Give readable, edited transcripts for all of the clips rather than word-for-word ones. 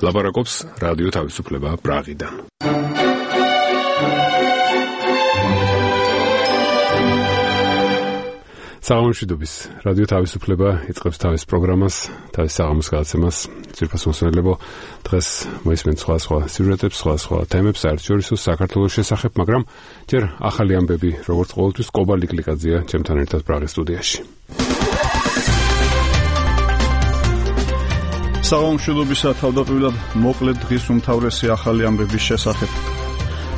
ლაპარაკობს რადიო თავისუფლება პრაღიდან. საღამოშვიდობის რადიო თავისუფლება იწყებს თავის პროგრამას, თავის საღამოს გადაცემას. ძვირფას მოსმენელებო, დღეს მოისმენთ სხვა სიუჟეტებს, სხვა თემებს, საერთაშორისო საქართველოს შესახებ, მაგრამ ჯერ ახალი ამბები, როგორც ყოველთვის, კობა ლიკლიკაძეა ჩემთან ერთად პრაღის სტუდიაში. საღამოშვიდობისა თავდაპირველად მოკლედ დღის უმთავრესი ახალი ამბების შესახებ.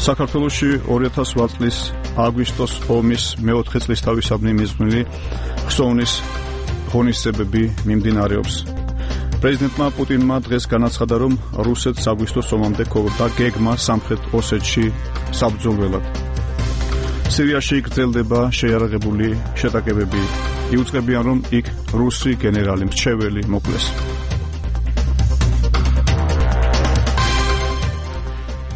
საქართველოში 2008 წლის აგვისტოს ომის მეოთხე წლისთავისაბნი მიზნული ხსოვნის ღონისძიებები მიმდინარეობს. პრეზიდენტმა პუტინმა დღეს განაცხადა, რომ რუსეთს აგვისტოს ომამდე ჰქონდა გეგმა სამხრეთ ოსეთში საბრძოლველად. სირიაში გრძელდება შეიარაღებული შეტაკებები. იუწყებიან, რომ იქ რუსი გენერალი მრჩეველი მოკლეს.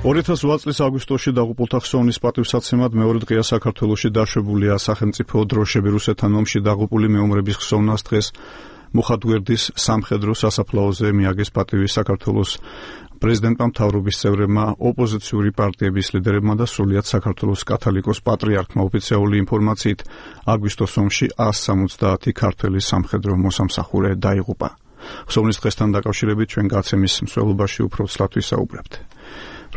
2008 წლის აგვისტოში დაღუპულთა ხსოვნის პატივსაცემად მეორე დღეა საქართველოში დაშვებულია სახელმწიფო დროშები. რუსეთთან ომში დაღუპული მეომრების ხსოვნას დღეს მუხათგვერდის სამხედრო სასაფლაოზე მიაგეს პატივი საქართველოს პრეზიდენტმა, მთავრობის წევრებმა, ოპოზიციური პარტიების ლიდერებმა და სრულიად საქართველოს კათოლიკოს პატრიარქმა. ოფიციალური ინფორმაციით, აგვისტოს ომში 170 ქართველი სამხედრო მოსამსახურე დაიღუპა. ხსოვნის დღესთან დაკავშირებით ჩვენ გაცემის მსვლელობაში უფრო ცლად ვისაუბრებთ.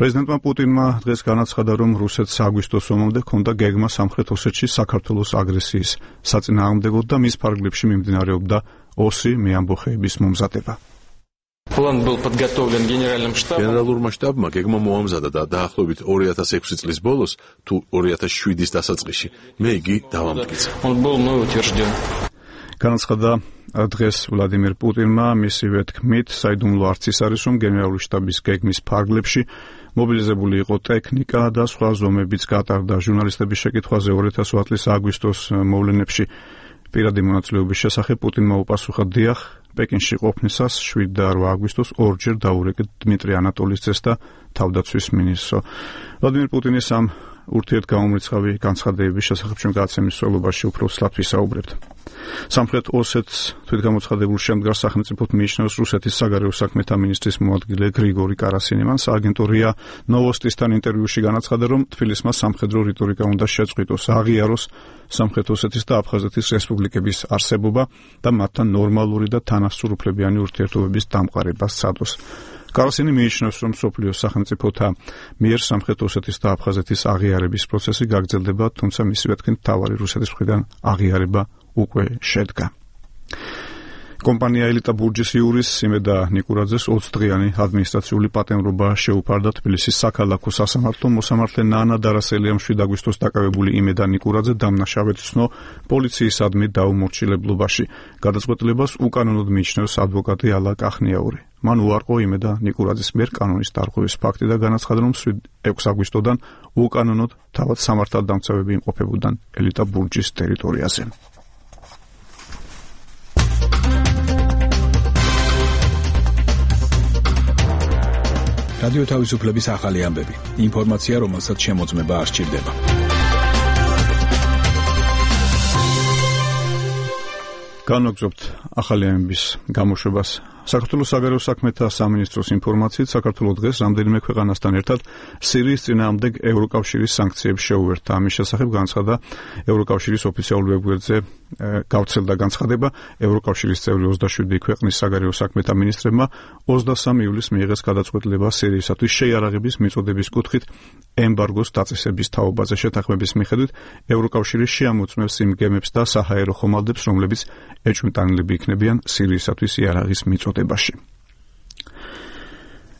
პრეზიდენტმა პუტინმა დღეს განაცხადა, რომ რუსეთს აგვისტოს ომამდე ჰქონდა გეგმა სამხრეთ ოსეთში საქართველოს აგრესიის საწინააღმდეგოდ და მის ფარგლებში მიმდინარეობდა ოსი მეამბოხეების მომზადება. გენერალურმა შტაბმა გეგმა მოამზადა და დაახლოებით 2006 წლის ბოლოს თუ 2007-ის დასაწყისში მე იგი დავამტკიცა. განაცხადა დღეს ვლადიმერ პუტინმა, მისივე თქმით, საიდუმლო არც ის არის, რომ გენერალური შტაბის გეგმის ფარგლებში მობილიზებული იყო ტექნიკა და სხვა ზომებიც გატარდა. ჟურნალისტების შეკითხვაზე 2008 წლის აგვისტოს მოვლენებში პირადი მონაწილეობის შესახებ პუტინმა უპასუხა, დიახ, პეკინში ყოფნისას 7 და 8 აგვისტოს ორჯერ დაურეკეთ დმიტრი ანატოლის ძეს და თავდაცვის მინისტრს. ვლადიმერ პუტინის ამ ურთიერთგამომრიცხავი განცხადებების შესახებ ჩვენ გადაცემის მსვლელობაში უფრო ცლად ვისაუბრებთ. სამხრეთ ოსეთს თვითგამოცხადებულ შემდგარ სახელმწიფოდ მიიჩნევს რუსეთის საგარეო საქმეთა მინისტრის მოადგილე გრიგორი კარასინი. მან სააგენტო ნოვოსტისთან ინტერვიუში განაცხადა, რომ თბილისმა სამხედრო რიტორიკა უნდა შეწყვიტოს, აღიაროს სამხრეთ ოსეთის და აფხაზეთის რესპუბლიკების არსებობა და მათთან ნორმალური და თანასწორუფლებიანი ურთიერთობების დამყარება სცადოს. კარასინი მიიჩნევს, რომ მსოფლიოს სახელმწიფოთა მიერ სამხრეთ ოსეთის და აფხაზეთის აღიარების პროცესი გაგრძელდება, თუმცა მისივე თქმით, მთავარი რუსეთის მხრიდან აღიარება უკვე შედგა. კომპანია ელიტა ბურჯის იურის იმედა ნიკურაძეს 20 დღიანი ადმინისტრაციული პატიმრობა შეუფარდა. თბილისის საქალაქო სასამართლო მოსამართლე ნანა დარასელიამ 7 აგვისტოს დაკავებული იმედა ნიკურაძე დამნაშავედ ცნო პოლიციისადმი დაუმორჩილებლობაში. გადაწყვეტილებას უკანონოდ მიიჩნევს ადვოკატი ალა კახნიაური. მან უარყო იმედა ნიკურაძის მიერ კანონის დარღვევის ფაქტი და განაცხადა, რომ 6 აგვისტოდან უკანონოდ თავად სამართალდამცავები იმყოფებოდნენ ელიტა ბურჯის ტერიტორიაზე. რადიო თავისუფლების ახალი ამბები. ინფორმაცია, რომელსაც შემოწმება არ სჭირდება. განვაგრძობთ ახალი ამბების გამოშვებას. საქართველოს საგარეო საქმეთა სამინისტროს ინფორმაციით, საქართველოს დღეს რამდენიმე ქვეყანასთან ერთად სირიის წინააღმდეგ ევროკავშირის სანქციებს შეუერთდა. ამის შესახებ განცხადა ევროკავშირის ოფიციალურ ვებგვერდზე გავრცელდა განცხადება. ევროკავშირის წევრი 27 ქვეყნის საგარეო საქმეთა მინისტრებმა 23 ივლისს მიიღეს გადაწყვეტილება სირიისათვის შეიარაღების მიწოდების კუთხით ემბარგოს დაწესების თაობაზე. შეთანხმების მიხედვით ევროკავშირი შეამოწმებს იმ გემებს და საჰაერო ხომალდებს, რომლებიც ეჭვმიტანილები იქნებიან სირიისათვის იარაღის მიწოდებაში.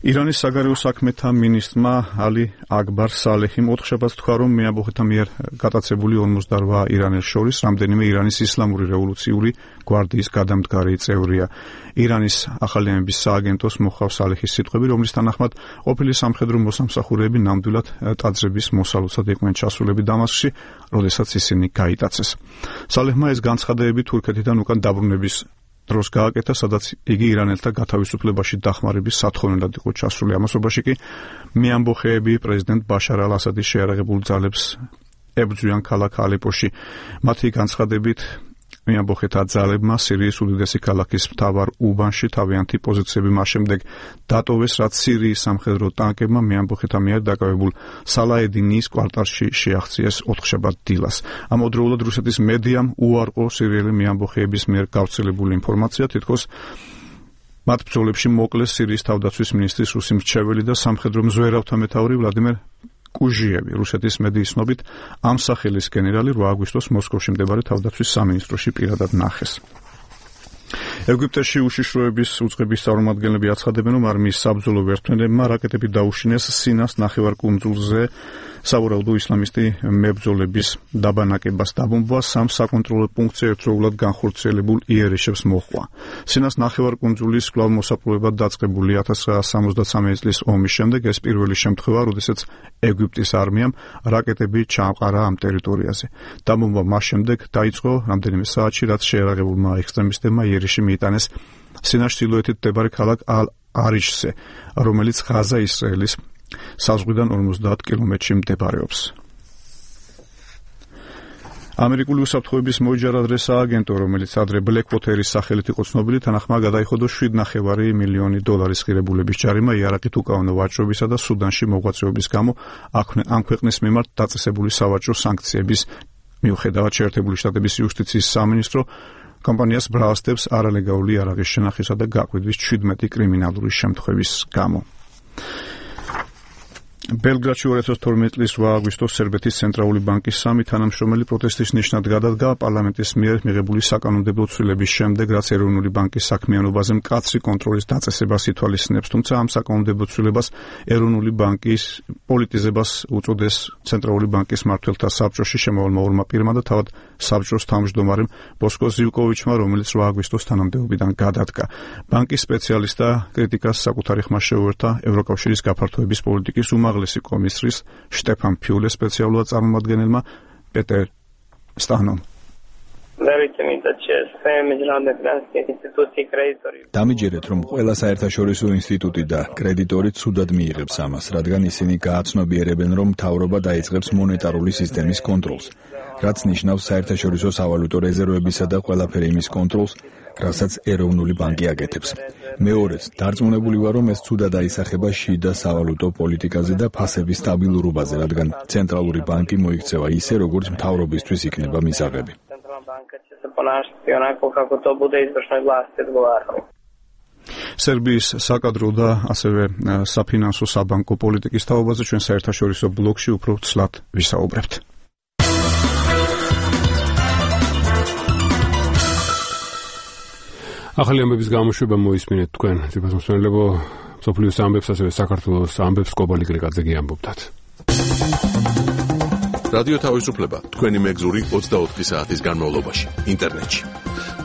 ირანის საგარეო საქმეთა მინისტრმა ალი აკბარ სალეჰიმ ოთხშაბათს თქვა, რომ მეამბოხეთა მიერ გატაცებული 58 ირანელს შორის რამდენიმე ირანის ისლამური რევოლუციური გვარდიის გადამდგარი წევრია. ირანის ახალი ამბების სააგენტოს მოხავს სალეჰის სიტყვები, რომლის თანახმად ყოფილი სამხედრო მოსამსახურეები ნამდვილად ტაძრების მოსალოცად იყვნენ ჩასულები დამასკში, როდესაც ისინი გაიტაცეს. სალეჰმა ეს განცხადებები თურქეთიდან უკან დაბრუნების დროს გააკეთა, სადაც იგი ირანელთა გათავისუფლებაში დახმარების სათხოვნელად იყო ჩასული. ამასობაში კი მეამბოხეები პრეზიდენტ ბაშარ ალ-ასადის შეიარაღებულ ძალებს ებრძვიან ქალაქ ალეპოში. მათი განცხადებით მეამბოხეთა ძალებმა სირიის უდიდესი ქალაქის მთავარ უბანში თავიანთი პოზიციები მას შემდეგ დატოვეს, რაც სირიის სამხედრო ტანკებმა მეამბოხეთა მიერ დაკავებულ სალაედინის კვარტალში შეაღწიეს ოთხშაბათ დილას. ამავდროულად რუსეთის მედიამ უარყო სირიელი მეამბოხეების მიერ გავრცელებული ინფორმაცია, თითქოს მათ ბრძოლებში მოკლეს სირიის თავდაცვის მინისტრის რუსი მრჩეველი და სამხედრო მზვერავთა მეთაური ვლადიმერ კუჟიევი. რუსეთის მედიის ცნობით ამ სახელის გენერალი 8 აგვისტოს მოსკოვში მდებარე თავდაცვის სამინისტროში პირადად ნახეს. ეგვიპტეში უშიშროების უწყების წარმომადგენლები აცხადებენ, რომ არმიის საბრძოლო ვერთმფრენებმა რაკეტები დაუშინეს სინას ნახევარკუნძულზე სავარაუდო ისლამისტი მებრძოლების დაბანაკებას დაბომბვა, სამ საკონტროლო პუნქტზე ერთდროულად განხორციელებულ იერიშებს მოჰყვა. სინას ნახევარკუნძულის კვლავ მოსაპყრობად დაწყებული 1973 წლის ომის შემდეგ ეს პირველი შემთხვევა, როდესაც ეგვიპტის არმიამ რაკეტები ჩაამყარა ამ ტერიტორიაზე. დაბომბვა მას შემდეგ დაიწყო რამდენიმე საათში, რაც შეერაღებულმა ექსტრემისტებმა იერიში მიიტანეს სინას ჩრდილოეთით მდებარე ქალაქ ალ-არიშზე, რომელიც ღაზა ისრაელის საზღვრიდან 50 კილომეტრში მდებარეობს. ამერიკული უსაფრთხოების მოიჯარადრე სააგენტო, რომელიც ადრე ბლეკვოტერის სახელით იყო ცნობილი, თანახმა გადაიხადო $7.5 მილიონი ღირებულების ჯარიმა იარაღით უკანონო ვაჭრობისა და სუდანში მოღვაწეობის გამო ამ ქვეყნის მიმართ დაწესებული სავაჭრო სანქციების მიუხედავად. შეერთებული შტატების იუსტიციის სამინისტრო კომპანიას ბრალსდებს არალეგალური იარაღის შენახისა და გაყვიდვის 17 კრიმინალური შემთხვევის გამო. ბელგრადში 2012 წლის 8 აგვისტოს სერბეთის ცენტრალური ბანკის სამი თანამშრომელი პროტესტის ნიშნად გადადგა პარლამენტის მიერ მიღებული საკანონმდებლო ცვლილების შემდეგ, რაც ეროვნული ბანკის საქმიანობაზე მკაცრი კონტროლის დაწესებას ითვალისწინებს, თუმცა ამ საკანონმდებლო ცვლილებას ეროვნული ბანკის პოლიტიზებას უწოდეს ცენტრალური ბანკის მმართველთა საბჭოში შემოვალმა ორმა პირმა და თავად საბჭოს თავმჯდომარემ ბოსკო ზივკოვიჩმა, რომელიც 8 აგვისტოს თანამდებობიდან გადადგა. ბანკის სპეციალისტთა კრიტიკას საკუთარი ხმა შეუერთა ევროკავშირის გაფართოების პოლიტიკის უმაღლესი კომისრის შტეფან ფიულე სპეციალურად წარმომადგენელმა პეტერ სტანომ. დამიჯერეთ, რომ ყველა საერთაშორისო ინსტიტუტი და კრედიტორი ცუდად მიიღებს ამას, რადგან ისინი გააცნობიერებენ, რომ მთავრობა დაიწყებს მონეტარული სისტემის კონტროლს, რაც ნიშნავს საერთაშორისო სავალუტო რეზერვებისა და ყველაფერი იმის კონტროლს, რასაც ეროვნული ბანკი აკეთებს. მეორეც, დარწმუნებული ვარ, რომ ეს ცუდად აისახება შიდა სავალუტო პოლიტიკაზე და ფასების სტაბილურობაზე, რადგან ცენტრალური ბანკი მოიქცევა ისე, როგორც მთავრობისთვის იქნება მისაღები. სერბიის საკადრო და ასევე საფინანსო საბანკო პოლიტიკის თაობაზე ჩვენ საერთაშორისო ბლოკში უფრო ცლად ვისაუბრებთ. ახალი ამბების გამოშვება მოისმინეთ თქვენ, ძირფასმსმენელებო, მსოფლიოს ამბებს, ასევე საქართველოს ამბებს კობალი გრიგაძე გიამბობდათ. რადიო თავისუფლება თქვენი მეგზური 24 საათის განმავლობაში ინტერნეტში.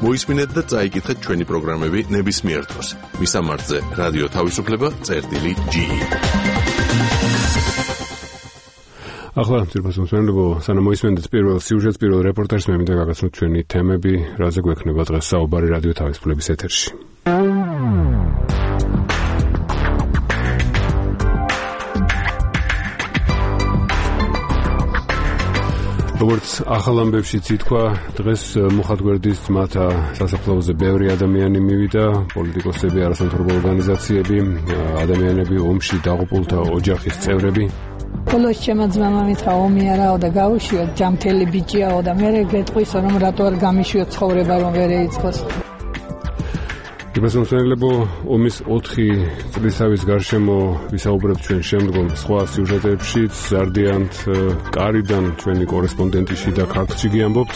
მოისმინეთ და წაიკითხეთ ჩვენი პროგრამები ნებისმიერ დროს. მისამართზე რადიო თავისუფლება.ge. ახლა ძირფასმსმენელებო, სანამ მოისმენთ პირველ სიუჟეტს, პირველ რეპორტაჟს, მე მინდა გაგაცნოთ ჩვენი თემები, რაზე გვექნება დღეს საუბარი რადიო თავისუფლების ეთერში. როგორც ახალ ამბებში ითქვა, დღეს მუხათგვერდის ძმათა სასაფლაოზე ბევრი ადამიანი მივიდა, პოლიტიკოსები, არასამთავრობო ორგანიზაციები, ადამიანები, ომში დაღუპულთა ოჯახის წევრები. Բոլոր ჩემო ძმამა მითხრა ომი არაო და გავუშვიოთ, ჯამთელი ბიჭიაო და მე გეტყვისო რომ რატო არ გამიშვიოთ ცხოვრება რომ ვერ ეიწყოს. ძირფასმსმენელებო, ომის 4 წლისავის გარშემო ვისაუბრებთ ჩვენ შემდგომ სხვა სიუჟეტებშიც, ზარდიანთ კარიდან ჩვენი კორესპონდენტი შიდა ქართლში გიამბობთ.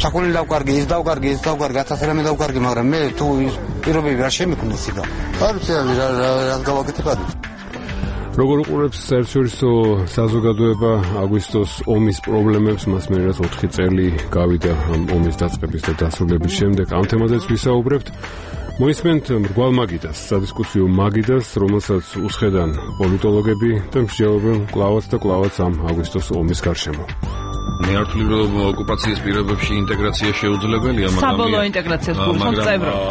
საკული დავკარგი, ის დავკარგი, 1000 რამე დავკარგი, მაგრამ მე თუ პირობები არ შემიქმნის იქა. არ ვიცი რა გავაკეთებად. როგორ უყურებს საერთაშორისო საზოგადოება აგვისტოს ომის პრობლემებს, მას მე რაც 4 წელი გავიდა ამ ომის დაწყების და დასრულების შემდეგ, ამ თემაზეც ვისაუბრებთ. მოისმენთ მრგვალ მაგიდას, სადისკუსიო მაგიდას, რომელსაც უსხედან პოლიტოლოგები და მსჯელობენ კლავაც და კლავაც ამ აგვისტოს ომის გარშემო. ნეართული ოკუპაციის პირობებში ინტეგრაცია შეუძლებელია, მაგრამ საბოლოო ინტეგრაციას გულისხმობ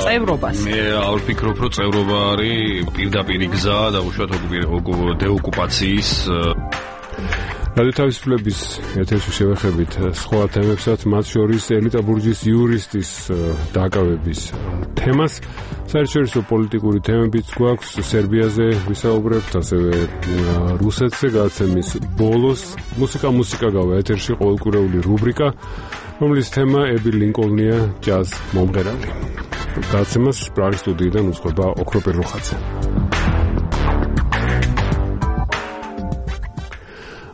წევრობას. მე არ ვფიქრობ, რომ წევრობა არის პირდაპირი გზა და უშუალოდ დეოკუპაციის. რადიო თავისუფლების ეთერში შევეხებით სხვა თემებსაც, მათ შორის ელიტა ბურჯის იურისტის დაკავების თემას. საერთაშორისო პოლიტიკური თემებიც გვაქვს, სერბიაზე ვისაუბრებთ, ასევე რუსეთზე გადაცემის ბოლოს მუსიკა გავა ეთერში ყოველკვირეული რუბრიკა, რომლის თემა ები ლინკოლნია ჯაზ მომღერალი. გადაცემას პრაღის სტუდიიდან უძღვება ოქრო პერლუხაძე.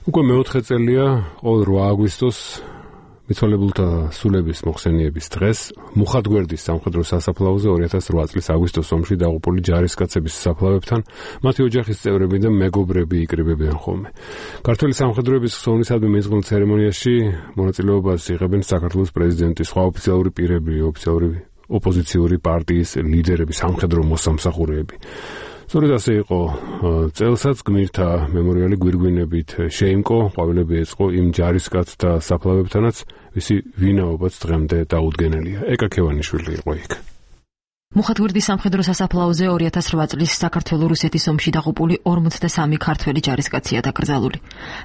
უკვე მეოთხე წელია ყოველ 8 აგვისტოს მიცვალებულთა სულების მოხსენიების დღეს მუხათგვერდის სამხედრო სასაფლაოზე 2008 წლის აგვისტოს ომში დაღუპული ჯარისკაცების საფლავებთან მათი ოჯახის წევრები და მეგობრები იკრიბებიან ხოლმე. ქართული სამხედროების ხსოვნისადმი მიძღვნილ ცერემონიაში მონაწილეობას იღებენ საქართველოს პრეზიდენტი, სხვა ოფიციალური პირები, ოფიციალური ოპოზიციური პარტიის ლიდერები, სამხედრო მოსამსახურეები. სწორედ ასე იყო წელსაც გმირთა მემორიალი გვირგვინებით შეიმკო, ყვავილები ეწყო იმ ჯარისკაცთა საფლავებთანაც, ვისი ვინაობაც დღემდე დაუდგენელია. ეკა ქევანიშვილი იყო იქ. მუხათგვერდის სამხედრო სასაფლაოზე 2008 წლის საქართველო-რუსეთის ომში დაღუპული 43 ქართველი ჯარისკაცია დაკრძალული.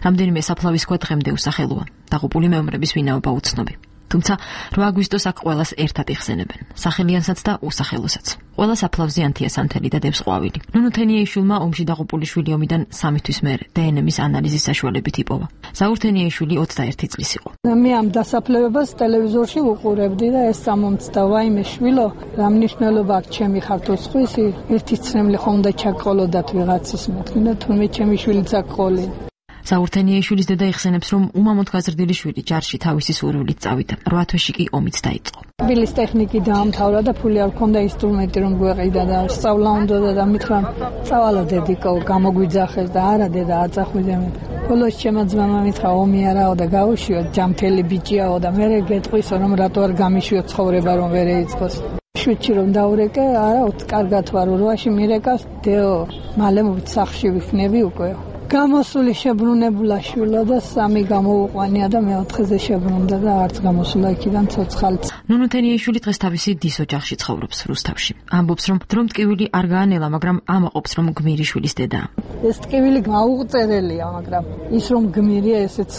რამდენიმე საფლავის ქვა დღემდე უსახელოა. დაღუპული მეომრების ვინაობა უცნობი. თუმცა 8 აგვისტოს აქ ყველას ერთად იხსენებენ, სახელიანსაც და უსახელოსაც. ყველა საფლავზე ანთია სანთელი და დევს ყვავილი. ნუნუ თენიეიშვილმა ომში დაღუპული შვილი ომიდან 3 თვის მერე დნმ-ის ანალიზის საშუალებით იპოვა. ზაურ თენიეიშვილი 21 წლის იყო. მე ამ დასაფლავებას ტელევიზორში ვუყურებდი და ეს წამომწდა, ვაიმე შვილო, რა მნიშვნელობა აქვს ჩემი ხართოსხვისი, ერთი ცრემლი ხომ და ჩაგყოლოდათ ვიღაცის მეთქი და თურმე ჩემი შვილი წაგყოლი. ზაურ თენიეიშვილის დედა იხსენებს, რომ უმამოდ გაზრდილი შვილი ჯარში თავისი სურვილით წავიდა. 8 თვეში კი ომიც დაიწყო. ბილის ტექნიკი დაამთავრა და ფული არ ჰქონდა ინსტრუმენტი რომ გვეყიდა და სწავლა უნდა და მითხრა წავალა დედიკო, გამოგვიძახეს და არა დედა აწახვიდე მე. ბოლოს ჩემო ძმამა მითხრა ომი არაო და გაუშვიოთ, ჯამთელი ბიჭიაო და მე გეტყვისო რომ რატო არ გამიშვიოთ ცხოვრება რომ ვერ ეიწყოს. შვიდში რომ დაურეკე, არა, კარგად ვარ, 8-ში მირეკას, დეო, მალე სახლში ვიქნები უკვე. გამოსული შებრუნებულა შვილო და 3 გამოუყვანია და მე-4-ზე შებრუნდა და არც გამოსულა იქიდან ცოცხალიც. ნუნუ თენიეიშვილი დღეს თავისი დის ოჯახში ცხოვრობს რუსთავში. ამბობს, რომ დრომტკივილი არ გაანელა, მაგრამ ამაყობს, რომ გმირი შვილის დედაა. ეს ტკივილი გაუწერელია, მაგრამ ის რომ გმირია, ესეც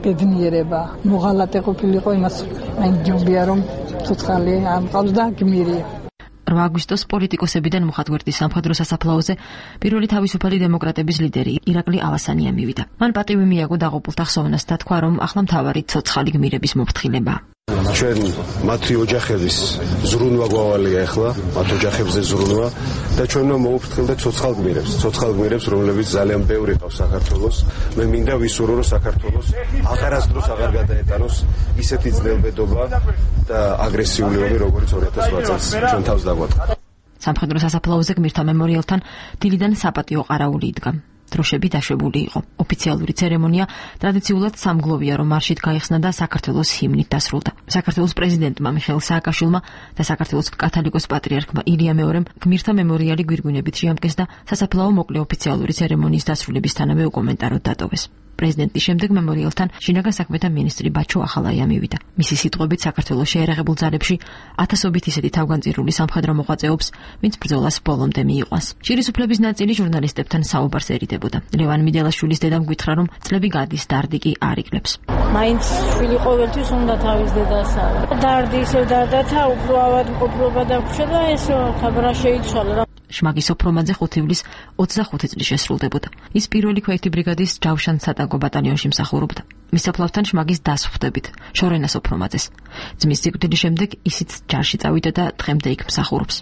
ბედნიერება. მოღალატე ყოფილიყო, იმას ჯობია რომ ცოცხალი ამყავს და გმირია. 8 აგვისტოს პოლიტიკოსებიდან მუხათგვერდის სამხედრო სასაფლაოზე პირველი თავისუფალი დემოკრატების ლიდერი ირაკლი ალასანია მივიდა. მან პატივი მიაგო დაღუპულთა ხსოვნას და თქვა, რომ ახლა მთავარი ცოცხალი გმირების მოფრთხილებაა. ჩვენ მათი ოჯახების ზრუნვა გვავალია ახლა, მათ ოჯახებზე ზრუნვა და ჩვენ მოვუფრთხილდეთ ცოცხალ გმირებს, რომლებიც ძალიან ბევრი ყავს საქართველოს. მე მინდა ვისურვო, რომ საქართველოს აღარასდროს აღარ გადაეტანოს ისეთი ძნელბედობა და აგრესიული ომი, როგორც 2008 წელს ჩვენ თავს დაგვატყდა. სამხედრო სასაფლაოზე გმირთა მემორიალთან დილიდან საპატიო ყარაული იდგა. დროშები დაშვებული იყო. ოფიციალური ცერემონია ტრადიციულად სამგლოვია, რომ მარშით გაიხსნა და საქართველოს ჰიმნით დასრულდა. საქართველოს პრეზიდენტმა მიხეილ სააკაშვილმა და საქართველოს კათოლიკოს პატრიარქმა ილია მეორემ გმირთა მემორიალი გვირგვინებით შეამკეს და სასაფლაო მოკლე ოფიციალური ცერემონიის დასრულებისთანავე უკომენტაროდ დატოვეს. პრეზიდენტის შემდეგ მემორიალთან შინაგან საქმეთა მინისტრი ბაჩო ახალაია მივიდა. მისი სიტყვებით საქართველოს შეერაღებულ ძალებში ათასობით ისეთი თავგანწირული სამხედრო მოღვაწეობს, ვინც ბრძოლას ბოლომდე მიიყვანს. შირისუფლების ნაწილი ჟურნალისტებთან საუბარს ერიდებოდა. ლევან მიდელაშვილის დედამ გითხრა, რომ წლები გადის, დარდი კი არ იკლებს. მაინც შვილი ყოველთვის უნდა თავის დედას არა. დარდი ისევ დარდათა, უფრო ავადმყოფობა დაგვრჩა და ესო თაბრა შეიცვალა. შმაგის ოფრომაძე 5 ივლისს 25 წლის შესრულდებოდა. ის პირველი ქვეითი ბრიგადის ჯავშან-სატანკო ბატალიონში მსახურობდა. მის საფლავთან შმაგის დას ხვდებით, შორენას ოფრომაძეს. ძმის სიკვდილის შემდეგ ისიც ჯარში წავიდა და დღემდე იქ მსახურობს.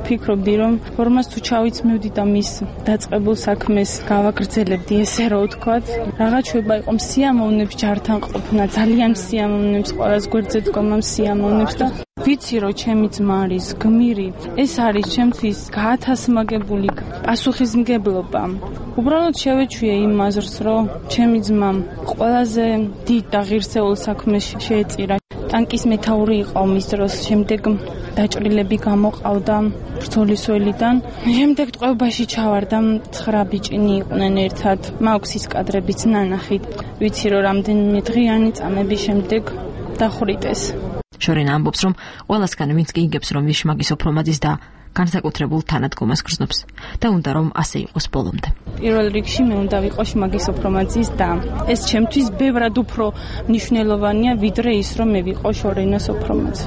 ფიქრობდი, რომ ფორმას თუ ჩავიწმევდი და მის დაწყებულ საქმეს გავაგრძელებდი, ესე რა ვთქვათ, რაღაც შვება იყო სიამოვნებს ჯართან ყოფნა, ძალიან სიამოვნებს, ყოველს გვერდზე დგომა სიამოვნებს და ვიცი რომ ჩემი ძმა არის გმირი, ეს არის ჩემთვის გაათასმაგებული პასუხისმგებლობა. უბრალოდ შევეჩვიე იმ აზრს, რომ ჩემი ძმა ყველაზე დიდ და ღირსეულ საქმეს შეეწირა. ტანკის მეთაური იყო მის დროს, შემდეგ დაჭრილები გამოყავდა ბრძოლის ველიდან. შემდეგ ტყვეობაში ჩავარდა, 9 ბიჭინი იყვნენ ერთად. მაქვს ის კადრებიც ნანახით. ვიცი რომ რამდენიმე დღიანი წამების შემდეგ დახვრიტეს. შორენა ამბობს, რომ ყველასგან ვინც კი იგებს, რომ ის შმაგის ოფრომაძის და განსაკუთრებულ თანადგომას გრძნობს და უნდა რომ ასე იყოს ბოლომდე. პირველ რიგში მე უნდა ვიყო შმაგი სოფრომაძის და ეს ჩემთვის ბევრად უფრო მნიშვნელოვანია ვიდრე ის რომ მე ვიყო შორენა სოფრომაძე.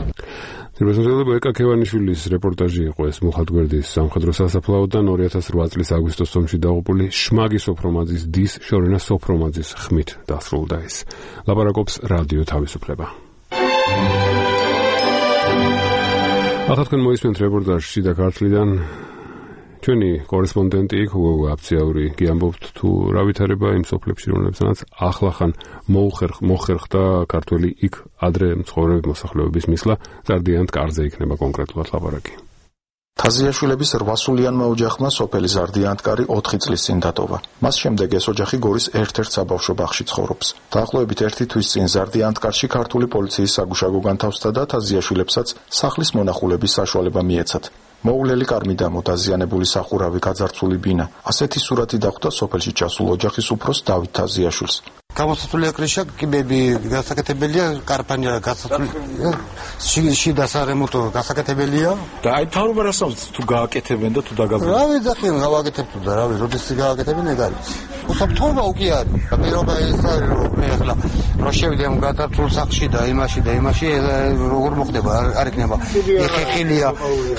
ძირფასმოსილება ეკა ქევანიშვილის რეპორტაჟი იყო ეს მუხათგვერდის სამხედრო სასაფლაოდან 2008 წლის აგვისტოს ომში დაღუპული შმაგი სოფრომაძის დის შორენა სოფრომაძის ხმით დასრულდა ის. ლაპარაკობს რადიო თავისუფლება. ახლა თქვენ მოისმენთ რეპორტაჟს შიდა ქართლიდან. ჩვენი კორესპონდენტი იქ უგო აფციაური გიამბობთ თუ რა ვითარება იმ სოფლებში რომლებსაც ახლახან მოხერხდა ქართველი იქ ადრე მცხოვრები მოსახლეობის მისვლა ზარდიანთ კარზე იქნება კონკრეტულად ლაპარაკი. თაზიაშვილების 8-სულიანმა ოჯახმა სოფელი ზარდიანთკარი 4 წლის წინ დატოვა. მას შემდეგ ეს ოჯახი გორის ერთ-ერთ საბავშვო ბაღში ცხოვრობს. დაახლოებით 1 თვის წინ ზარდიანთკარში ქართული პოლიციის საგუშაგო განთავსდა და თაზიაშვილებსაც სახლის მონახულების საშუალება მიეცათ. მოულელი კარმიდამო, დაზიანებული სახურავი, გაძარცვული ბინა. ასეთი სურათი დახვდა სოფელში ჩასულ ოჯახის უფროს დავით თაზიაშვილს. გამოსაცვლელი კრიშა, კიბები გასაკეთებელია, კარპანია გასაკეთებელია, შიდა სარემონტო გასაკეთებელია. და აი თავრობა რასაც თუ გააკეთებენ და თუ დაგაბლენ. რა ვიძახიან, გავაკეთებ თუ და რა ვიცი, როდის გააკეთებენ ეგ არის. უსაფრთხოება უკვე არის. პირობა ეს არის, რომ მე ახლა რო შევიდე ამ გადაწულ სახში და იმაში როგორ მოხდება, არ იქნება.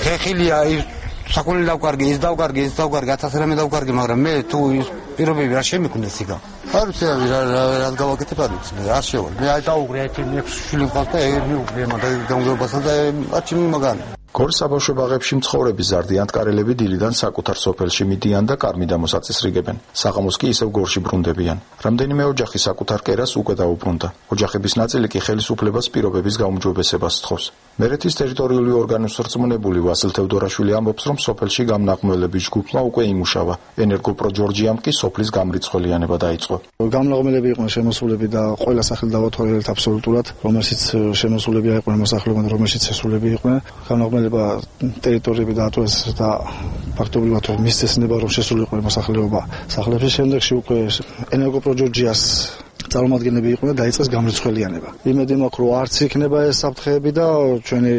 ხეხილია ის საკუთარი დავკარგი, ის დავკარგი, 1000 რამე დავკარგი, მაგრამ მე თუ ის პირობები არ შემიქმნეს იქა. არ ვიცი რა გავაკეთებ, არ ვიცი, არ შევალ. მე აი დაუგრე ერთი 6 შვილი მყავს და მიუგრე მაგალ გამგებასთან და არჩიმი მაგალი. გორის საბავშვო ბაღებში მცხოვრები ზარდიანთკარელები დილიდან საკუთარ სოფელში მიდიან და კარმიდამოს აწესრიგებენ. საღამოს კი ისევ გორში ბრუნდებიან. რამდენიმე ოჯახი საკუთარ კერას უკვე დაუბრუნდა. ოჯახების ნაწილი კი ხელისუფლებას პირობების გაუმჯობესებას სთხოვს. მერეთის ტერიტორიული ორგანოს რწმუნებული ვასილ თევდორაშვილი ამბობს, რომ სოფელში გამნაღმველების ჯგუფმა უკვე იმუშავა. ენერგოპრო ჯორჯიამ კი სოფლის გამრიცხველიანება დაიწყო. გამნაღმელები იყვნენ შემოსულები და ყველა სახელი დავათვალიერეთ აბსოლუტურად, რომელშიც შემოსულები იყვნენ მოსახლეობა, რომელშიც შესულები იყვნენ. გამნაღმელება ტერიტორიები დაატოვეს და ფაქტობრივად მისცემა რომ შესულიყო მოსახლეობა სახლებში. შემდეგში უკვე ენერგოპრო ჯორჯიას წარმომადგენლები იყვნენ და დაიწყეს გამრიცხველიანება. იმედი მაქვს რომ არც იქნება ეს საფრთხეები და ჩვენი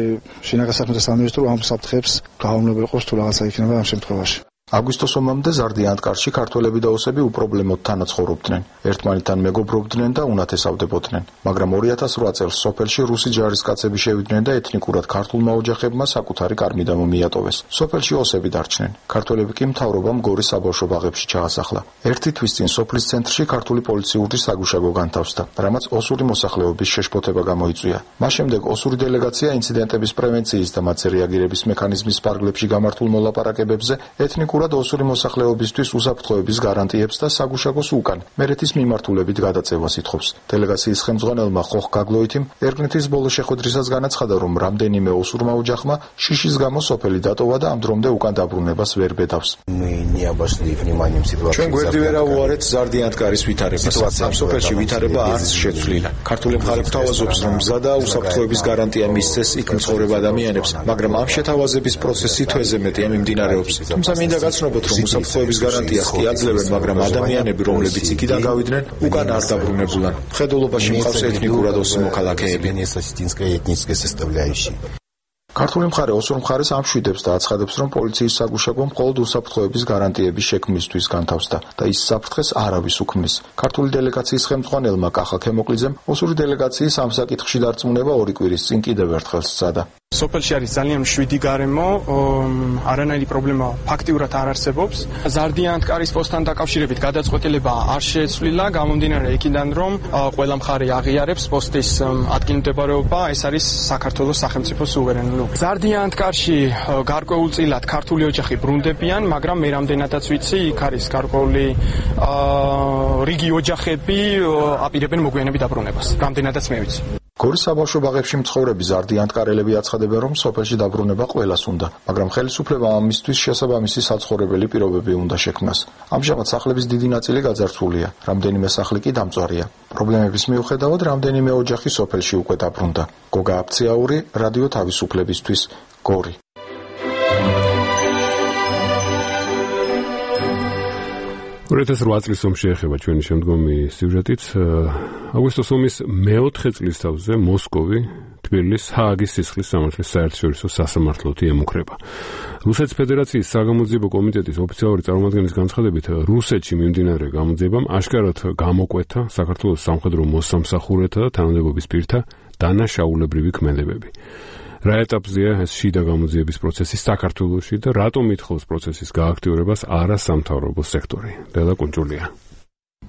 შინაგან საქმეთა სამინისტრო ამ საფრთხეებს გაუმეორებს იყოს თუ რაღაცა იქნება ამ შემთხვევაში. აგვისტოს ომამდე ზარდიანთკარში ქართველები და ოსები უპრობლემოდ თანაცხოვრობდნენ. ერთმანეთთან მეგობრობდნენ და უნათესავდებოდნენ. მაგრამ 2008 წელს სოფელში რუსი ჯარისკაცები შევიდნენ და ეთნიკურად ქართულმა ოჯახებმა საკუთარი კარმიდამო მიატოვეს. სოფელში ოსები დარჩნენ. ქართველები კი მთავრობამ გორის საბავშვო ბაღებში ჩაასახლა. 1 თვის წინ სოფლის ცენტრში ქართული პოლიციური საგუშაგო განთავსდა, რამაც ოსური მოსახლეობის შეშფოთება გამოიწვია. მას შემდეგ ოსური დელეგაცია ინციდენტების პრევენციის და მათზე რეაგირების მექანიზმის ფარგლებში გამართულ მოლაპარაკებებზე ეთნიკურ ოსური მოსახლეობისთვის უსაფრთხოების გარანტიებს და საგუშაგოს უკან მერეთის მიმართულებით გადაწევას ითხოვს. დელეგაციის ხელმძღვანელმა ხოხ გაგლოითიმ ერგნეთის ბოლო შეხვედრისას განაცხადა, რომ რამდენიმე ოსურმა ოჯახმა შიშის გამო სოფელი დატოვა და ამ დრომდე უკან დაბრუნებას ვერ ბედავს. ჩვენ გვერდი ვერ ავუარეთ ზარდიანთკარის ვითარებას. ამ სოფელში ვითარება არც შეცვლილა. ქართული მხარე გვთავაზობს, რომ მზა და უსაფრთხოების გარანტია მისცეს იქ მცხოვრებ ადამიანებს, მაგრამ ამ შეთავაზების პროცესი თვეზე მეტია მიმდინარეობს. თუმცა მინდა გაცნობოთ, რომ უსაფრთხოების გარანტიას კი აძლევენ, მაგრამ ადამიანები, რომლებიც იქიდან გავიდნენ, უკან არ დაბრუნებულან. მხედველობაში მყავს ეთნიკურად ოსი მოქალაქეები. ქართული მხარე ოსურ მხარეს ამშვიდებს და აცხადებს, რომ პოლიციის საგუშაგო მხოლოდ უსაფრთხოების გარანტიების შექმნისთვის განთავსდა და ის საფრთხეს არავის უქმნის. ქართული დელეგაციის ხელმძღვანელმა კახა ქემოკლიძემ ოსური დელეგაციის ამ საკითხში დარწმუნება 2 კვირის წინ კიდევ ერთხელ სცადა. სოფელში არის ძალიან მშვიდი გარემო, არანაირი პრობლემა ფაქტიურად არ არსებობს. ზარდიანთკარის პოსტთან დაკავშირებით გადაწყვეტილება არ შეცვლილა, გამომდინარე იქიდან, რომ ყველა მხარე აღიარებს პოსტის ადგილმდებარეობა, ეს არის საქართველოს სახელმწიფო სუვერენული. ზარდიანთკარში გარკვეულწილად ქართული ოჯახი ბრუნდებიან, მაგრამ მე რამდენადაც ვიცი, იქ არის გარკვეული რიგი ოჯახები აპირებენ მოგვიანებით დაბრუნებას. რამდენადაც მე ვიცი. გორის საბავშვო ბაღებში მცხოვრები ზარდიანთკარელები აცხადებენ, რომ სოფელში დაბრუნება ყველას უნდა, მაგრამ ხელისუფლებამ ამისთვის შესაბამისი საცხოვრებელი პირობები უნდა შექმნას. ამჟამად სახლების დიდი ნაწილი გაძარცვულია, რამდენიმე სახლი კი დამწვარია. პრობლემების მიუხედავად, რამდენიმე ოჯახი სოფელში უკვე დაბრუნდა. გოგა აფციაური, რადიო თავისუფლებისთვის, გორი. 2008 წლის ომში ეხება ჩვენი შემდგომი სიუჟეტით. აგვისტოს ომის მეოთხე წლისთავზე მოსკოვი თბილისის ჰააგის სისხლის სამართლის საერთაშორისო სასამართლოთი ემუქრება. რუსეთის ფედერაციის საგამოძიებო კომიტეტის ოფიციალური წარმომადგენლის განცხადებით, რუსეთში მიმდინარე გამოძიებამ აშკარად გამოკვეთა საქართველოს სამხედრო მოსამსახურეთა და თანამდებობის პირთა დანაშაულებრივი ქმედებები. რა ეტაპზეა ეს შიდა გამოძიების პროცესი საქართველოში და რატომ ითხოვს პროცესის გააქტიურებას არასამთავრობო სექტორი? დელა კუნჭულია.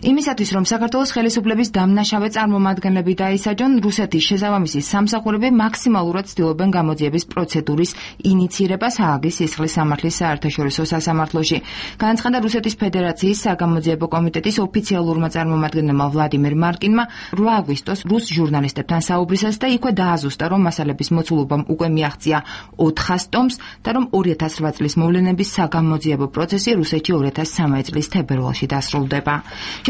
იმისათვის, რომ საქართველოს ხელისუფლების დამნაშავე წარმომადგენლები დაისაჯონ, რუსეთის შესაბამისი სამსახურები მაქსიმალურად ცდილობენ გამოძიების პროცედურის ინიცირებას ჰააგის სისხლის სამართლის საერთაშორისო სასამართლოში. განაცხადა რუსეთის ფედერაციის საგამოძიებო კომიტეტის ოფიციალურმა წარმომადგენელმა ვლადიმერ მარკინმა 8 აგვისტოს რუს ჟურნალისტებთან საუბრისას და იქვე დააზუსტა, რომ მასალების მოცულობამ უკვე მიაღწია 400 ტომს და რომ 2008 წლის მოვლენების საგამოძიებო პროცესი რუსეთში 2013 წლის თებერვალში დასრულდება.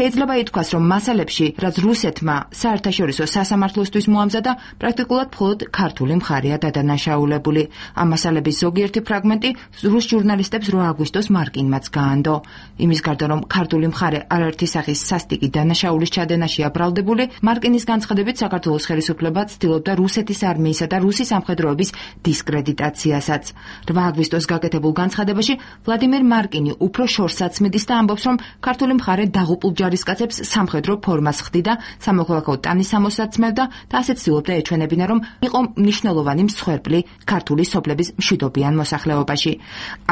შეიძლება ითქვას, რომ მასალებში, რაც რუსეთმა საერთაშორისო სასამართლოსთვის მოამზადა, პრაქტიკულად მხოლოდ ქართული მხარეა დადანაშაულებული. ამ მასალების ზოგიერთი ფრაგმენტი რუს ჟურნალისტებს 8 აგვისტოს მარკინმაც გაანდო. იმის გარდა, რომ ქართული მხარე არაერთი სახის სასტიკი დანაშაულის ჩადენაშია ბრალდებული, მარკინის განცხადებით საქართველოს ხელისუფლება ცდილობდა რუსეთის არმიისა და რუსი სამხედროების დისკრედიტაციასაც. 8 აგვისტოს გაკეთებულ განცხადებაში ვლადიმერ მარკინი უფრო შორსაც მიდის და ამბობს, რომ ქართული მხარე დაღუპულ ჯარისკაცებს სამხედრო ფორმას ხდიდა, სამოქალაქო ტანის ამოსაცმევდა და ასეც ცდილობდა ეჩვენებინა, რომ იყო მნიშვნელოვანი მსხვერპლი ქართული სოფლების მშვიდობიან მოსახლეობაში.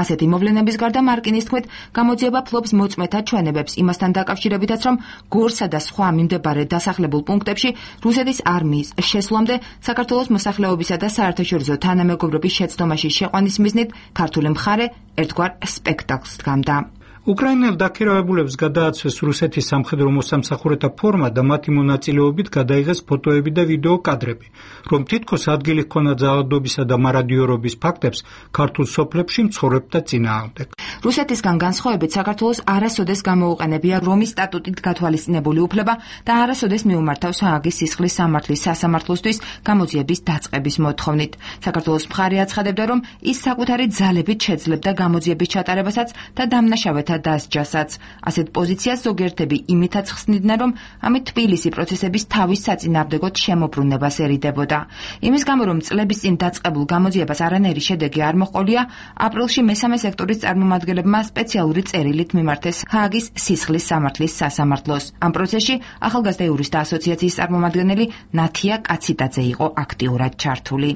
ასეთი მოვლენების გარდა მარკინის თქმით, გამოძიება ფლობს მოწმეთა ჩვენებებს იმასთან დაკავშირებითაც, რომ გორსა და სხვა მიმდებარე დასახლებულ პუნქტებში რუსეთის არმიის შესვლამდე საქართველოს მოსახლეობისა და საერთაშორისო თანამეგობრობის შეცდომაში შეყვანის მიზნით ქართული მხარე ერთგვარ სპექტაკლს დგამდა. უკრაინელ დაქირავებულებს გადააცვეს რუსეთის სამხედრო მოსამსახურეთა ფორმა და მათი მონაწილეობით გადაიღეს ფოტოები და ვიდეო კადრები, რომ თითქოს ადგილი ჰქონდა ძალადობისა და მარადიორობის ფაქტებს ქართულ სოფლებში მცხოვრებთა წინააღმდეგ. რუსეთისგან განსხვავებით საქართველოს არასოდეს გამოუყენებია რომის სტატუტით გათვალისწინებული უფლება და არასოდეს მიუმართავს ჰააგის სისხლის სამართლის სასამართლოსთვის გამოძიების დაწყების მოთხოვნით. საქართველოს მხარე აცხადებდა, რომ ის საკუთარი ძალებით შეძლებდა გამოძიების ჩატარებასაც და დამნაშავეთა დასჯასაც. ასეთ პოზიციას ზოგიერთები იმითაც ხსნიდნენ, რომ ამით თბილისი პროცესების თავის საწინააღმდეგოდ შემოbrunებასერიდებოდა. იმის გამო, რომ წლების წინ დაწყებულ გამოძიებას არანაირი შედეგი არ მოჰყოლია, აპრილში მესამე სექტორის წარმომადგენლებმა სპეციალური წერილით მიმართეს ჰააგის სისხლის სამართლის სასამართლოს. ამ პროცესში ახალგაზრდა იურისტთა ასოციაციის წარმომადგენელი ნათია კაციტაძე იყო აქტიურად ჩართული.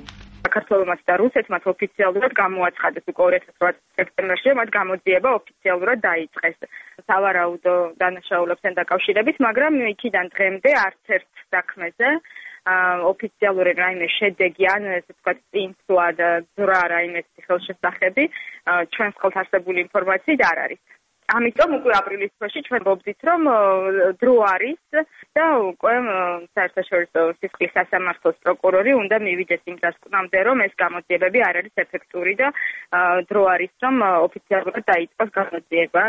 საქართველოს და რუსეთმა ოფიციალურად გამოაცხადეს უკვე 2008 სექტემბერში, მათ გამოძიება ოფიციალურად დაიწყეს სავარაუდო დანაშაულებთან დაკავშირებით, მაგრამ იქიდან დღემდე არც ერთ საქმეზე ოფიციალური რაიმე შედეგი ან ესე ვთქვათ წინსვლა და ძრა რაიმე ხელშესახები ჩვენს ხელთ არსებული ინფორმაციით არ არის. ამიტომ უკვე აპრილის თვეში ჩვენ ვობდით, რომ დრო არის და უკვე საერთაშორისო სისხლის სასამართლოს პროკურორი უნდა მივიდეს იმ დასკვნამდე, რომ ეს გამოძიებები არ არის ეფექტური და დრო არის, რომ ოფიციალურად დაიწყოს გამოძიება.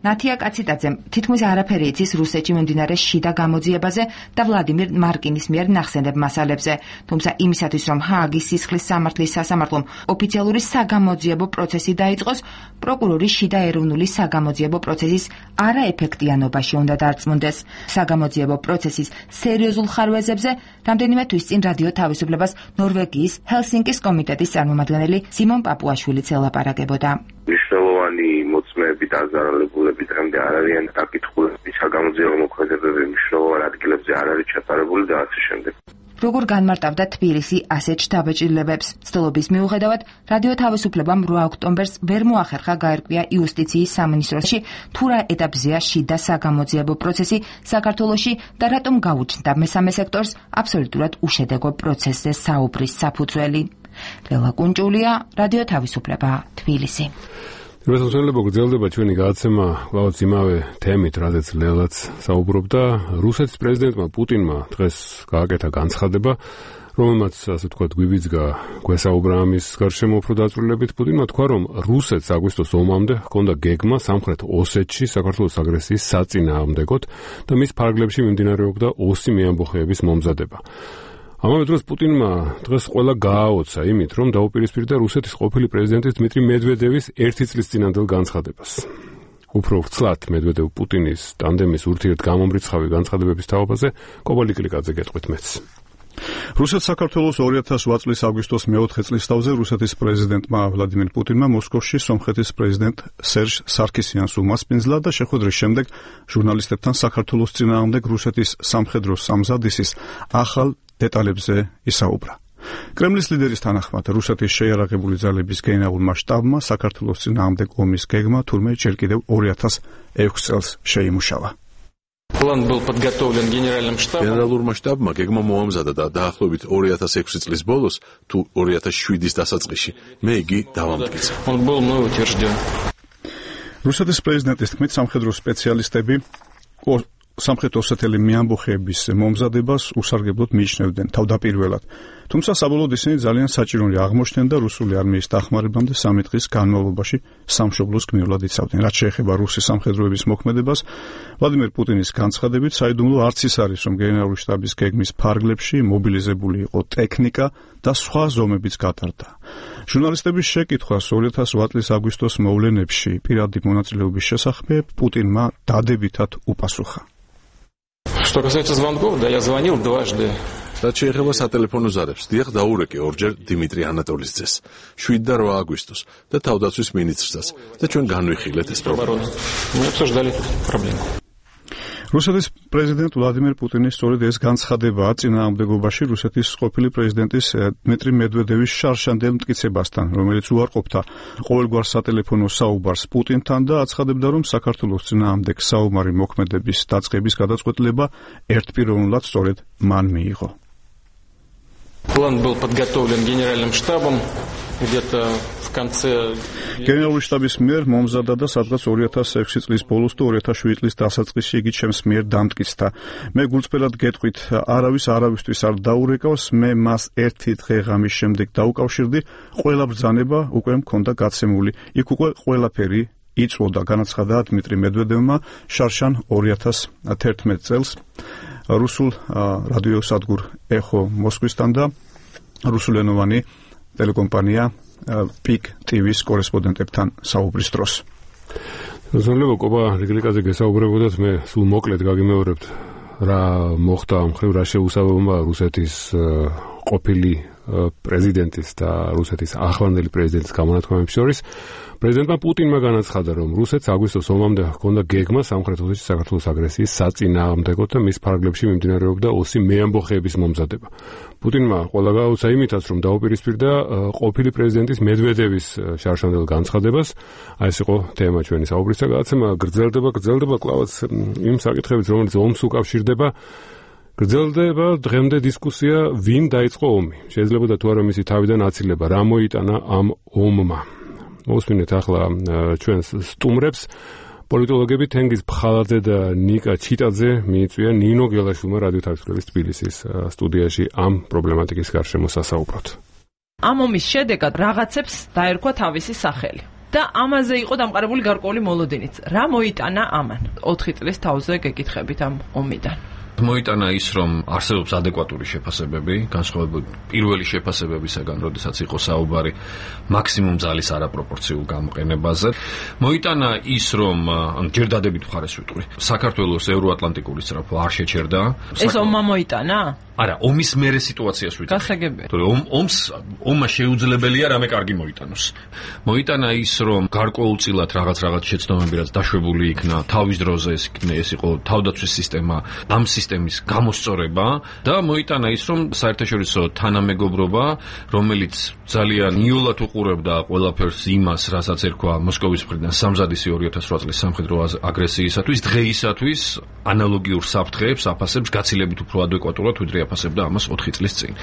ნათია კაციტაძემ თითქმის არაფერი იცის რუსეთში მიმდინარე შიდა გამოძიებაზე და ვლადიმერ მარკინის მიერ ნახსენებ მასალებზე, თუმცა იმისათვის, რომ ჰააგის სისხლის სამართლის სასამართლომ ოფიციალური საგამოძიებო პროცესი დაიწყოს, პროკურორი შიდა ეროვნული საგამოძიებო პროცესის არაეფექტიანობაში უნდა დარწმუნდეს. საგამოძიებო პროცესის სერიოზულ ხარვეზებზე რამდენიმე თვის წინ რადიო თავისუფლებას ნორვეგიის ჰელსინკის კომიტეტის წარმომადგენელი სიმონ პაპუაშვილიც ელაპარაკებოდა. მნიშვნელოვანი მოწმეები და აზარალებულები დღემდე არ არიან დაკითხულები, საგამოძიებო მოქმედებები მნიშვნელოვან ადგილებზე არ არის ჩატარებული და ასე შემდეგ. როგორ განმარტავდა თბილისი ასეთ შთაბეჭდილებებს? ცდილობის მიუხედავად, რადიო თავისუფლებამ 8 ოქტომბერს ვერ მოახერხა გაერკვია იუსტიციის სამინისტროში თუ რა ეტაპზეა შიდა საგამოძიებო პროცესი საქართველოში და რატომ გაუჩნდა მესამე სექტორს აბსოლუტურად უშედეგო პროცესზე საუბრის საფუძველი. ლელა კუნჭულია, რადიო თავისუფლება, თბილისი. რუსეთელებო გრძელდება ჩვენი გადაცემა კვლავაც იმავე თემით, რაზეც ლელაც საუბრობდა. რუსეთის პრეზიდენტმა პუტინმა დღეს გააკეთა განცხადება, რომელმაც ასე ვთქვათ გვიბიძგა გვესაუბრა ამის გარშემო უფრო დაწვრილებით. პუტინმა თქვა, რომ რუსეთს აგვისტოს ომამდე ჰქონდა გეგმა სამხრეთ ოსეთში საქართველოს აგრესიის საწინააღმდეგოდ და მის ფარგლებში მიმდინარეობდა ოსი მეამბოხეების მომზადება. ამავე დროს პუტინმა დღეს ყველა გააოცა იმით, რომ დაუპირისპირდა რუსეთის ყოფილი პრეზიდენტის დმიტრი მედვედევის ერთი წლის წინანდელ განცხადებას. უფრო ვრცლად მედვედევ-პუტინის ტანდემის ურთიერთ გამომრიცხავი განცხადებების თაობაზე კობალი კლიკაძე გეტყვით მეც. რუსეთ-საქართველოს 2008 წლის აგვისტოს მე-4 წლისთავზე რუსეთის პრეზიდენტმა ვლადიმერ პუტინმა მოსკოვში სომხეთის პრეზიდენტ სერჟ სარქისიანს უმასპინძლა და შეხვედრის შემდეგ ჟურნალისტებთან საქართველოს წინააღმდეგ რუსეთის სამხედრო სამზადისის ახალ დეტალებზე ისაუბრა. კრემლის ლიდერის თანახმად რუსეთის შეიარაღებული ძალების გენერალურმა შტაბმა საქართველოს წინააღმდეგ ომის გეგმა თურმე ჯერ კიდევ 2006 წელს შეიმუშავა. План был подготовлен генеральным штабом. გენერალურმა შტაბმა გეგმა მოამზადა და დაახლოებით 2006 წლის ბოლოს თუ 2007-ის დასაწყისში მე იგი დავამტკიცა. Он был мной утвержден. რუსეთის პრეზიდენტის თქმით სამხედრო სპეციალისტები სამხრეთ ოსეთელი მეამბოხეების მომზადებას უსარგებლოდ მიიჩნევდნენ თავდაპირველად. თუმცა საბოლოოდ ისინი ძალიან საჭიროა აღმოჩნდნენ და რუსული არმიის დახმარებამდე 3 დღის განმავლობაში სამშობლოს გმირულად იცავდნენ. რაც შეეხება რუსის სამხედროების მოქმედებას, ვლადიმერ პუტინის განცხადებით საიდუმლო არც ის არის, რომ გენერალური შტაბის გეგმის ფარგლებში მობილიზებული იყო ტექნიკა და სხვა ზომებიც გატარდა. ჟურნალისტების შეკითხვას 2008 წლის აგვისტოს მოვლენებში პირადი მონაწილეობის შესახებ პუტინმა დადებითად უპასუხა. Что касается звонков, да, я звонил дважды. რაც შეეხება სატელეფონო ზარებს, დიახ დაურეკე ორჯერ დიმიტრი ანატოლის ძეს, 7 და 8 აგვისტოს და თავდაცვის მინისტრსაც და ჩვენ განვიხილეთ ეს პრობლემა. Мы обсуждали проблему. რუსეთის პრეზიდენტ ვლადიმერ პუტინის სწორედ ეს განცხადებაა წინააღმდეგობაში რუსეთის ყოფილი პრეზიდენტის დმიტრი მედვედევის შარშანდელ მტკიცებასთან, რომელიც უარყოფდა ყოველგვარ სატელეფონო საუბარს პუტინთან და აცხადებდა, რომ საქართველოს წინააღმდეგ საომარი მოქმედების დაწყების გადაწყვეტილება ერთპიროვნულად სწორედ მან მიიღო. План был подготовлен генеральным штабом где-то в конце გენერალური შტაბის მიერ მომზადდა და სადღაც 2006 წლის ბოლოს და 2007 წლის დასაწყისში იგი ჩემს მიერ დამტკიცდა. მე გულწრფელად გეტყვით, არავისთვის არ დაურეკავს, მე მას ერთი დღე-ღამის შემდეგ დაუკავშირდი, ყველა ბრძანება უკვე მქონდა გაცემული. იქ უკვე ყველაფერი იწვოდა, განაცხადა დმიტრი მედვედევმა შარშან 2011 წელს რუსულ რადიოსადგურ ეხო მოსკვისთან და რუსულენოვანი ტელეკომპანია PIK TV-ს კორესპონდენტებთან საუბრის დროს. ზოგადად კობა რიგლიკაზე გესაუბრებოდათ, მე სულ მოკლედ გაგიმეორებთ რა მოხდა მხრივ რა შეუსაბამობა რუსეთის ყოფილი პრეზიდენტის და რუსეთის ახლანდელი პრეზიდენტის გამონათქვამებს შორის. პრეზიდენტმა პუტინმა განაცხადა, რომ რუსეთს აგვისტოს ომამდე ჰქონდა გეგმა სამხრეთ ოსეთში საქართველოს აგრესიის საწინააღმდეგოდ და მის ფარგლებში მიმდინარეობდა ოსი მეამბოხეების მომზადება. პუტინმა ყველა გაუცა იმითაც, რომ დაუპირისპირდა ყოფილი პრეზიდენტის მედვედევის შარშანდელ განცხადებას. აი ეს იყო თემა ჩვენი საუბრის და გადაცემა გრძელდება კლავაც იმ საკითხებით, რომელიც ომს უკავშირდება. გრძელდება დღემდე დისკუსია, ვინ დაიწყო ომი. შეიძლება და თუ არა მისი თავიდან აცილება, რა მოიტანა ამ ომმა. მოსმინეთ ახლა ჩვენს სტუმრებს. პოლიტოლოგები თენგიზ ფხალაძე და ნიკა ჩიტაძე მიიწვიან ნინო გელაშვილმა რადიო თავისუფლების თბილისის სტუდიაში ამ პრობლემატიკის გარშემო სასაუბროთ. ამ ომის შედეგად რაღაცებს დაერქვა თავისი სახელი. და ამაზე იყო დამყარებული გარკვეული მოლოდინიც. რა მოიტანა ამან? 4 წლის თავზე გეკითხებით ამ ომიდან. მოიტანა ის, რომ არსებობს ადეკვატური შეფასებები, განსხვავებით პირველი შეფასებებისაგან, როდესაც იყო საუბარი მაქსიმუმ ძალის არაპროპორციულ გამოყენებაზე. მოიტანა ის, რომ ჯერ დადებით მხარეს ვიტყვი, საქართველოს ევროატლანტიკური სწრაფვა არ შეჩერდა. ეს ომმა მოიტანა? არა, ომის მერე სიტუაციას ვიტყვი. გასაგებია. ომმა შეუძლებელია რამე კარგი მოიტანოს. მოიტანა ის, რომ გარკვეულწილად რაღაც შეცდომები რაც დაშვებული იქნა თავის დროზე, ეს იყო თავდაცვის სისტემა, ამ სისტემის გამოსწორება და მოიტანა ის, რომ საერთაშორისო თანამეგობრობა, რომელიც ძალიან იოლად უყურებდა ყველაფერს იმას, რასაც ერქვა მოსკოვის მხრიდან სამზადისი 2008 წლის სამხედრო აგრესიისათვის, დღეისათვის ანალოგიურ საფრთხეებს აფასებს გაცილებით უფრო ადეკვატურად, ვიდრე აფასებდა ამას 4 წლის წინ.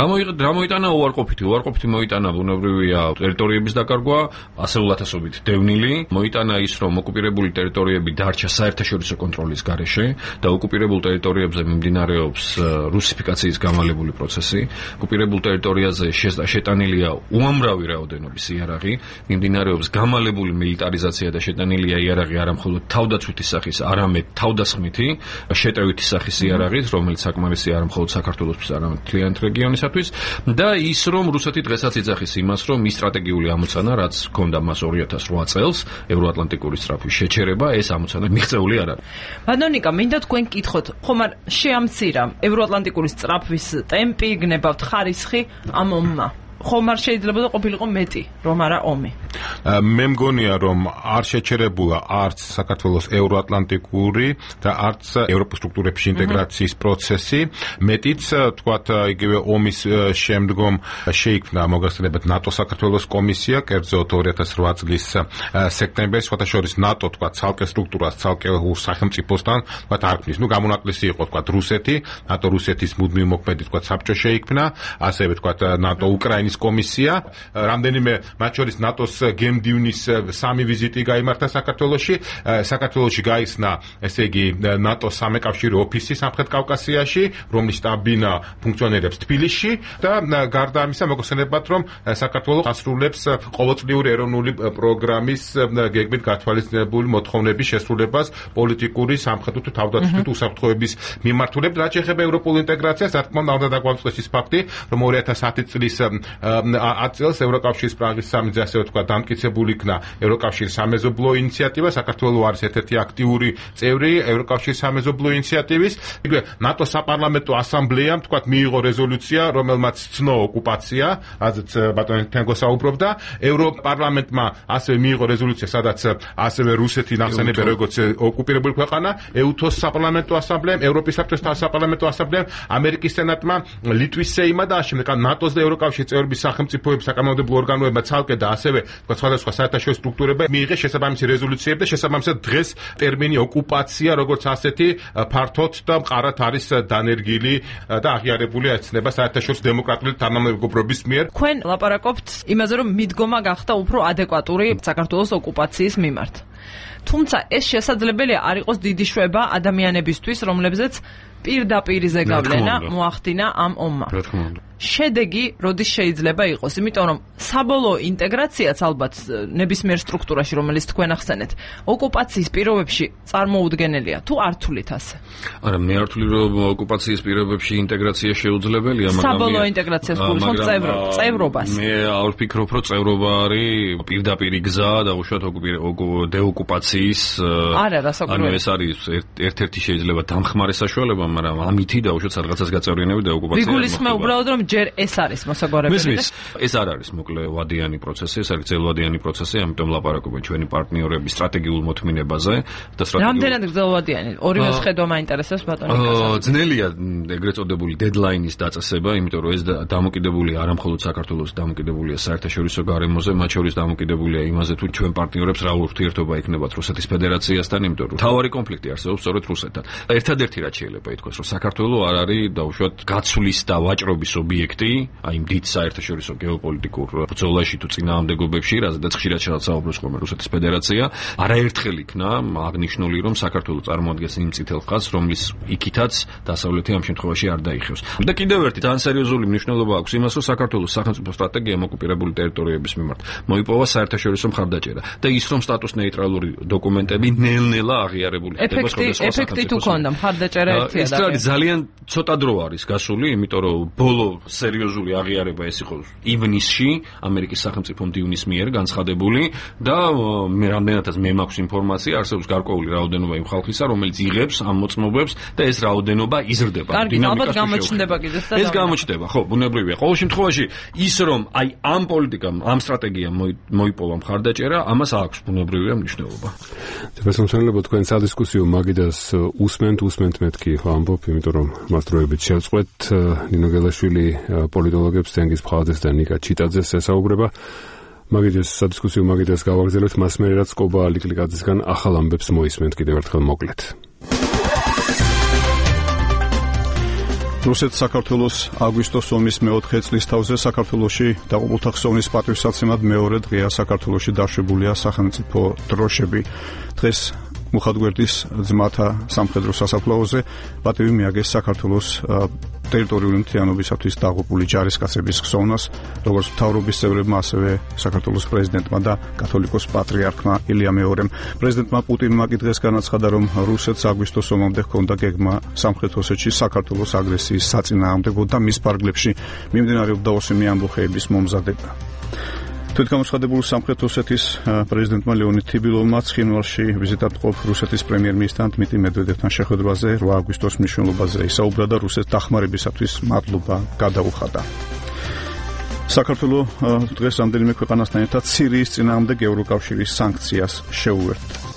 რა მოიტანა უარყოფითი მოიტანა ბუნებრივია ტერიტორიების დაკარგვა, ასეულათასობით დევნილი, მოიტანა ის, რომ ოკუპირებული ტერიტორიები დარჩა საერთაშორისო კონტროლის გარეშე და ოკუპირებულ ტერიტორიებზე მიმდინარეობს რუსიფიკაციის გამალებული პროცესი. ოკუპირებულ ტერიტორიაზე შეტანილია უამრავი რაოდენობის იარაღი, მიმდინარეობს გამალებული მილიტარიზაცია და შეტანილია იარაღი არა მხოლოდ თავდაცვითი სახის, არამედ თავდასხმითი, შეტევითი სახის იარაღით, რომელიც საკმარისია არა მხოლოდ საქართველოსთვის, არამედ მთლიანად რეგიონისათვის და ის რომ რუსეთი დღესაც იძახის იმას, რომ ის სტრატეგიული ამოცანა, რაც ჰქონდა მას 2008 წელს, ევროატლანტიკური სწრაფვის შეჩერება, ეს ამოცანა მიღწეული არ არის. ბატონიკა, მინდა თქვენ გკითხოთ, ხომ არ შეამცირა ევროატლანტიკური სწრაფვის ტემპი, გნებავთ ხარისხი ამ ომმა? ხომ არ შეიძლება და ყოფილიყო მეტი, რომ არა ომი. მე მგონია, რომ არ შეჩერებულა არც საქართველოს ევროატლანტიკური და არც ევროპის სტრუქტურებში ინტეგრაციის პროცესი. მეტიც, თქვათ, იგივე ომის შემდგომ შეიქმნა მოგახსენებათ ნატო საქართველოს კომისია, კერძოდ 2008 წლის სექტემბერში, სხვათა შორის ნატო, თქვათ, ცალკე სტრუქტურას, ცალკე სახელმწიფოსთან, თქვათ, არ ქმნის. გამონაკლისი იყო, თქვათ, რუსეთი, ნატო რუსეთის მუდმივ მოქმედი, თქვათ, საბჭო შეიქმნა, ასევე, თქვათ, ნატო უკრაინის კომისია, რამდენიმე მათ შორის ნატოს გემდივნის 3 ვიზიტი გაიმართა საქართველოში. საქართველოში გაიხსნა, ესე იგი, ნატოს სამეკავშირო ოფისი სამხრეთ კავკასიაში, რომლის შტაბ-ბინა ფუნქციონირებს თბილისში და გარდა ამისა, მოგხსენებათ, რომ საქართველო ასრულებს ყოველწლიური ეროვნული პროგრამის გეგმით გათვალისწინებული მოთხოვნების შესრულებას პოლიტიკური, სამხედრო თუ თავდაცვითი უსაფრთხოების მიმართულებით. რაც შეეხება ევროპულ ინტეგრაციას, რა თქმა უნდა, უნდა დაგვამწყვეტს ის ფაქტი, რომ 2010 წლის 10 წელს ევროკავშირის პრაღის სამიტზე, ასევე თქვა, დამტკიცებული იქნა ევროკავშირის სამეზობლო ინიციატივა. საქართველო არის ერთ-ერთი აქტიური წევრი ევროკავშირის სამეზობლო ინიციატივის. იგივე ნატოს საპარლამენტო ასამბლეამ, თქვა, მიიღო რეზოლუცია, რომელმაც ცნო ოკუპაცია, რაზეც ბატონი თენგო საუბრობდა. ევროპარლამენტმა ასევე მიიღო რეზოლუცია, სადაც ასევე რუსეთი ნახსენებია როგორც ოკუპირებული ქვეყანა. ეუთოს საპარლამენტო ასამბლეამ, ევროპის საბჭოს საპარლამენტო ასამბლეამ, ამერიკის სენატმა, ლიტვის სეიმმა და ამავდროულად ნატოს და ევროკავშირის წევრების სახელმწიფოების საკანონმდებლო ორგანოებმა ცალკე და ასევე სხვადასხვა საერთაშორისო სტრუქტურებმა მიიღეს შესაბამისი რეზოლუციები და შესაბამისად დღეს ტერმინი ოკუპაცია როგორც ასეთი ფართოდ და მყარად არის დანერგილი და აღიარებული ეცნება საერთაშორისო დემოკრატიული თანამეგობრობის მიერ. თქვენ ლაპარაკობთ იმაზე, რომ მიდგომა გახდა უფრო ადეკვატური საქართველოს ოკუპაციის მიმართ. თუმცა ეს შესაძლებელია არ იყოს დიდი შვება ადამიანებისთვის, რომლებზეც პირდაპირ ზეგავლენა მოახდინა ამ ომმა. შედეგი როდის შეიძლება იყოს, იმიტომ რომ საბოლოო ინტეგრაციაც ალბათ ნებისმიერ სტრუქტურაში, რომელიც თქვენ ახსენეთ, ოკუპაციის პირობებში წარმოუდგენელია, თუ არ თulit ასე? არა, მე არ თვლი, რომ ოკუპაციის პირობებში ინტეგრაცია შეუძლებელია, მაგრამ საბოლოო ინტეგრაციას გულისხმობ წევრობას. მე არ ვფიქრობ, რომ წევრობა არის პირდაპირი გზა და უშუალოდ დეოკუპაციის. არა, რასაკვირველია. ანუ ეს არის ერთ-ერთი შეიძლება დამხმარე საშუალება, მაგრამ ამითი და უშუალოდ სადღაცას გაწევრიანები დეოკუპაცია. ვიგულისხმე უბრალოდ რომ ჯერ ეს არის მოსაგვარებელი. ეს არ არის მოკლე ვადიანი პროცესი, ეს არის ძელვადიანი პროცესი, ამიტომ ლაპარაკობენ ჩვენი პარტნიორების სტრატეგიულ მოთმინებაზე და რამდენად ძელვადიანი? ორივეს ხედვა მაინტერესებს ბატონიკას. ძნელია ეგრეთ წოდებული დედლაინის დაწესება, იმიტომ რომ ეს დამოკიდებულია არა მხოლოდ საქართველოს, დამოკიდებულია საერთაშორისო გარემოზე, მათ შორის დამოკიდებულია იმაზე, თუ ჩვენ პარტნიორებს რა ურთიერთობა იქნებათ რუსეთის ფედერაციასთან, იმიტომ რომ თავარი კონფლიქტი არსებობს სწორედ რუსეთთან. ერთადერთი რაც შეიძლება ითქვას, რომ საქართველო არ არის დაუშვათ გაცვლის და ვაჭრობის ობიექტი, აი დიდ საერთაშორისო გეოპოლიტიკურ ბრძოლაში თუ წინააღმდეგობებში, რაზედაც ხშირად შეასაუბროს ხოლმე რუსეთის ფედერაცია, არაერთხელ იქნა აღნიშნული, რომ საქართველო წარმოადგენს იმ წითელ ხაზს, რომლის იქითაც დასავლეთი ამ შემთხვევაში არ დაიხევს. და კიდევ ერთი ძალიან სერიოზული მნიშვნელობა აქვს იმას, რომ საქართველოს სახელმწიფო სტრატეგიამ ოკუპირებული ტერიტორიების მიმართ მოიპოვა საერთაშორისო მხარდაჭერა და ის რომ სტატუს ნეიტრალური დოკუმენტები ნელ-ნელა აღიარებული ხდება სხვადასხვა სახელმწიფოს. ეფექტი თუ ქონდა მხარდაჭერა ერთია და ეს არის ძალიან ცოტა დრო არის გასული, იმიტომ რომ ბოლო სერიოზული აღიარება ეს იყო ივნისში ამერიკის სახელმწიფო მდივნის მიერ განცხადებული და მე რამდენადაც მე მაქვს ინფორმაცია, არსებობს გარკვეული რაოდენობა იმ ხალხისა, რომელიც იღებს ამ მოწმობებს და ეს რაოდენობა იზრდება. კარგი, ალბათ გამოჩნდება კიდეც და ეს გამოჩნდება, ხო, ბუნებრივია. ყოველ შემთხვევაში ის რომ აი ამ პოლიტიკამ, ამ სტრატეგიამ მოიპოვა მხარდაჭერა, ამას აქვს ბუნებრივია მნიშვნელობა. თებესმცემლებო, თქვენ სადისკუსიო მაგიდას უსმენთ მეთქი ამბობ, იმიტომ რომ მასწროებით შევწყვეთ ნინო გელაშვილი პოლიტოლოგებს თენგიზ ფხაძეს და ნიკა ჩიტაძეს ესაუბრება. მაგიდეს სადისკუსიო მაგიდას გავაგზავნებთ მას მერე რაც კობა ლიკლიკაძისგან ახალ ამბებს მოისმენთ კიდევ ერთხელ მოკლედ. რუსეთს საქართველოს აგვისტოს ომის მე-4 წლის თავზე საქართველოში დაღუპულთა ხსოვნის პატივსაცემად მეორე დღეა საქართველოში დაშვებულია სახელმწიფო დროშები. დღეს მუხათგვერდის ძმათა სამხედრო სასაფლაოზე პატივი მიაგეს საქართველოს ტერიტორიული მთლიანობისათვის დაღუპული ჯარისკაცების ხსოვნას, როგორც მთავრობის წევრებმა, ასევე საქართველოს პრეზიდენტმა და კათოლიკოს პატრიარქმა ილია მეორემ. პრეზიდენტმა პუტინმა კი დღეს განაცხადა, რომ რუსეთს აგვისტოს ომამდე ჰქონდა გეგმა სამხრეთ ოსეთში საქართველოს აგრესიის საწინააღმდეგო და მის ფარგლებში მიმდინარეობდა ოსმიანი ამბოხეების მომზადება. თვითგამოცხადებულ სამხრეთ ოსეთის პრეზიდენტმა ლეონიდ თიბილოვმა ცხინვალში ვიზიტად მყოფ რუსეთის პრემიერ-მინისტრთან დმიტრი მედვედევთან შეხვედრაზე 8 აგვისტოს მნიშვნელობაზე ისაუბრა და რუსეთს დახმარებისათვის მადლობა გადაუხადა. საქართველოს დღეს რამდენიმე ქვეყანასთან ერთად სირიის წინააღმდეგ ევროკავშირის სანქციას შეუერთდა.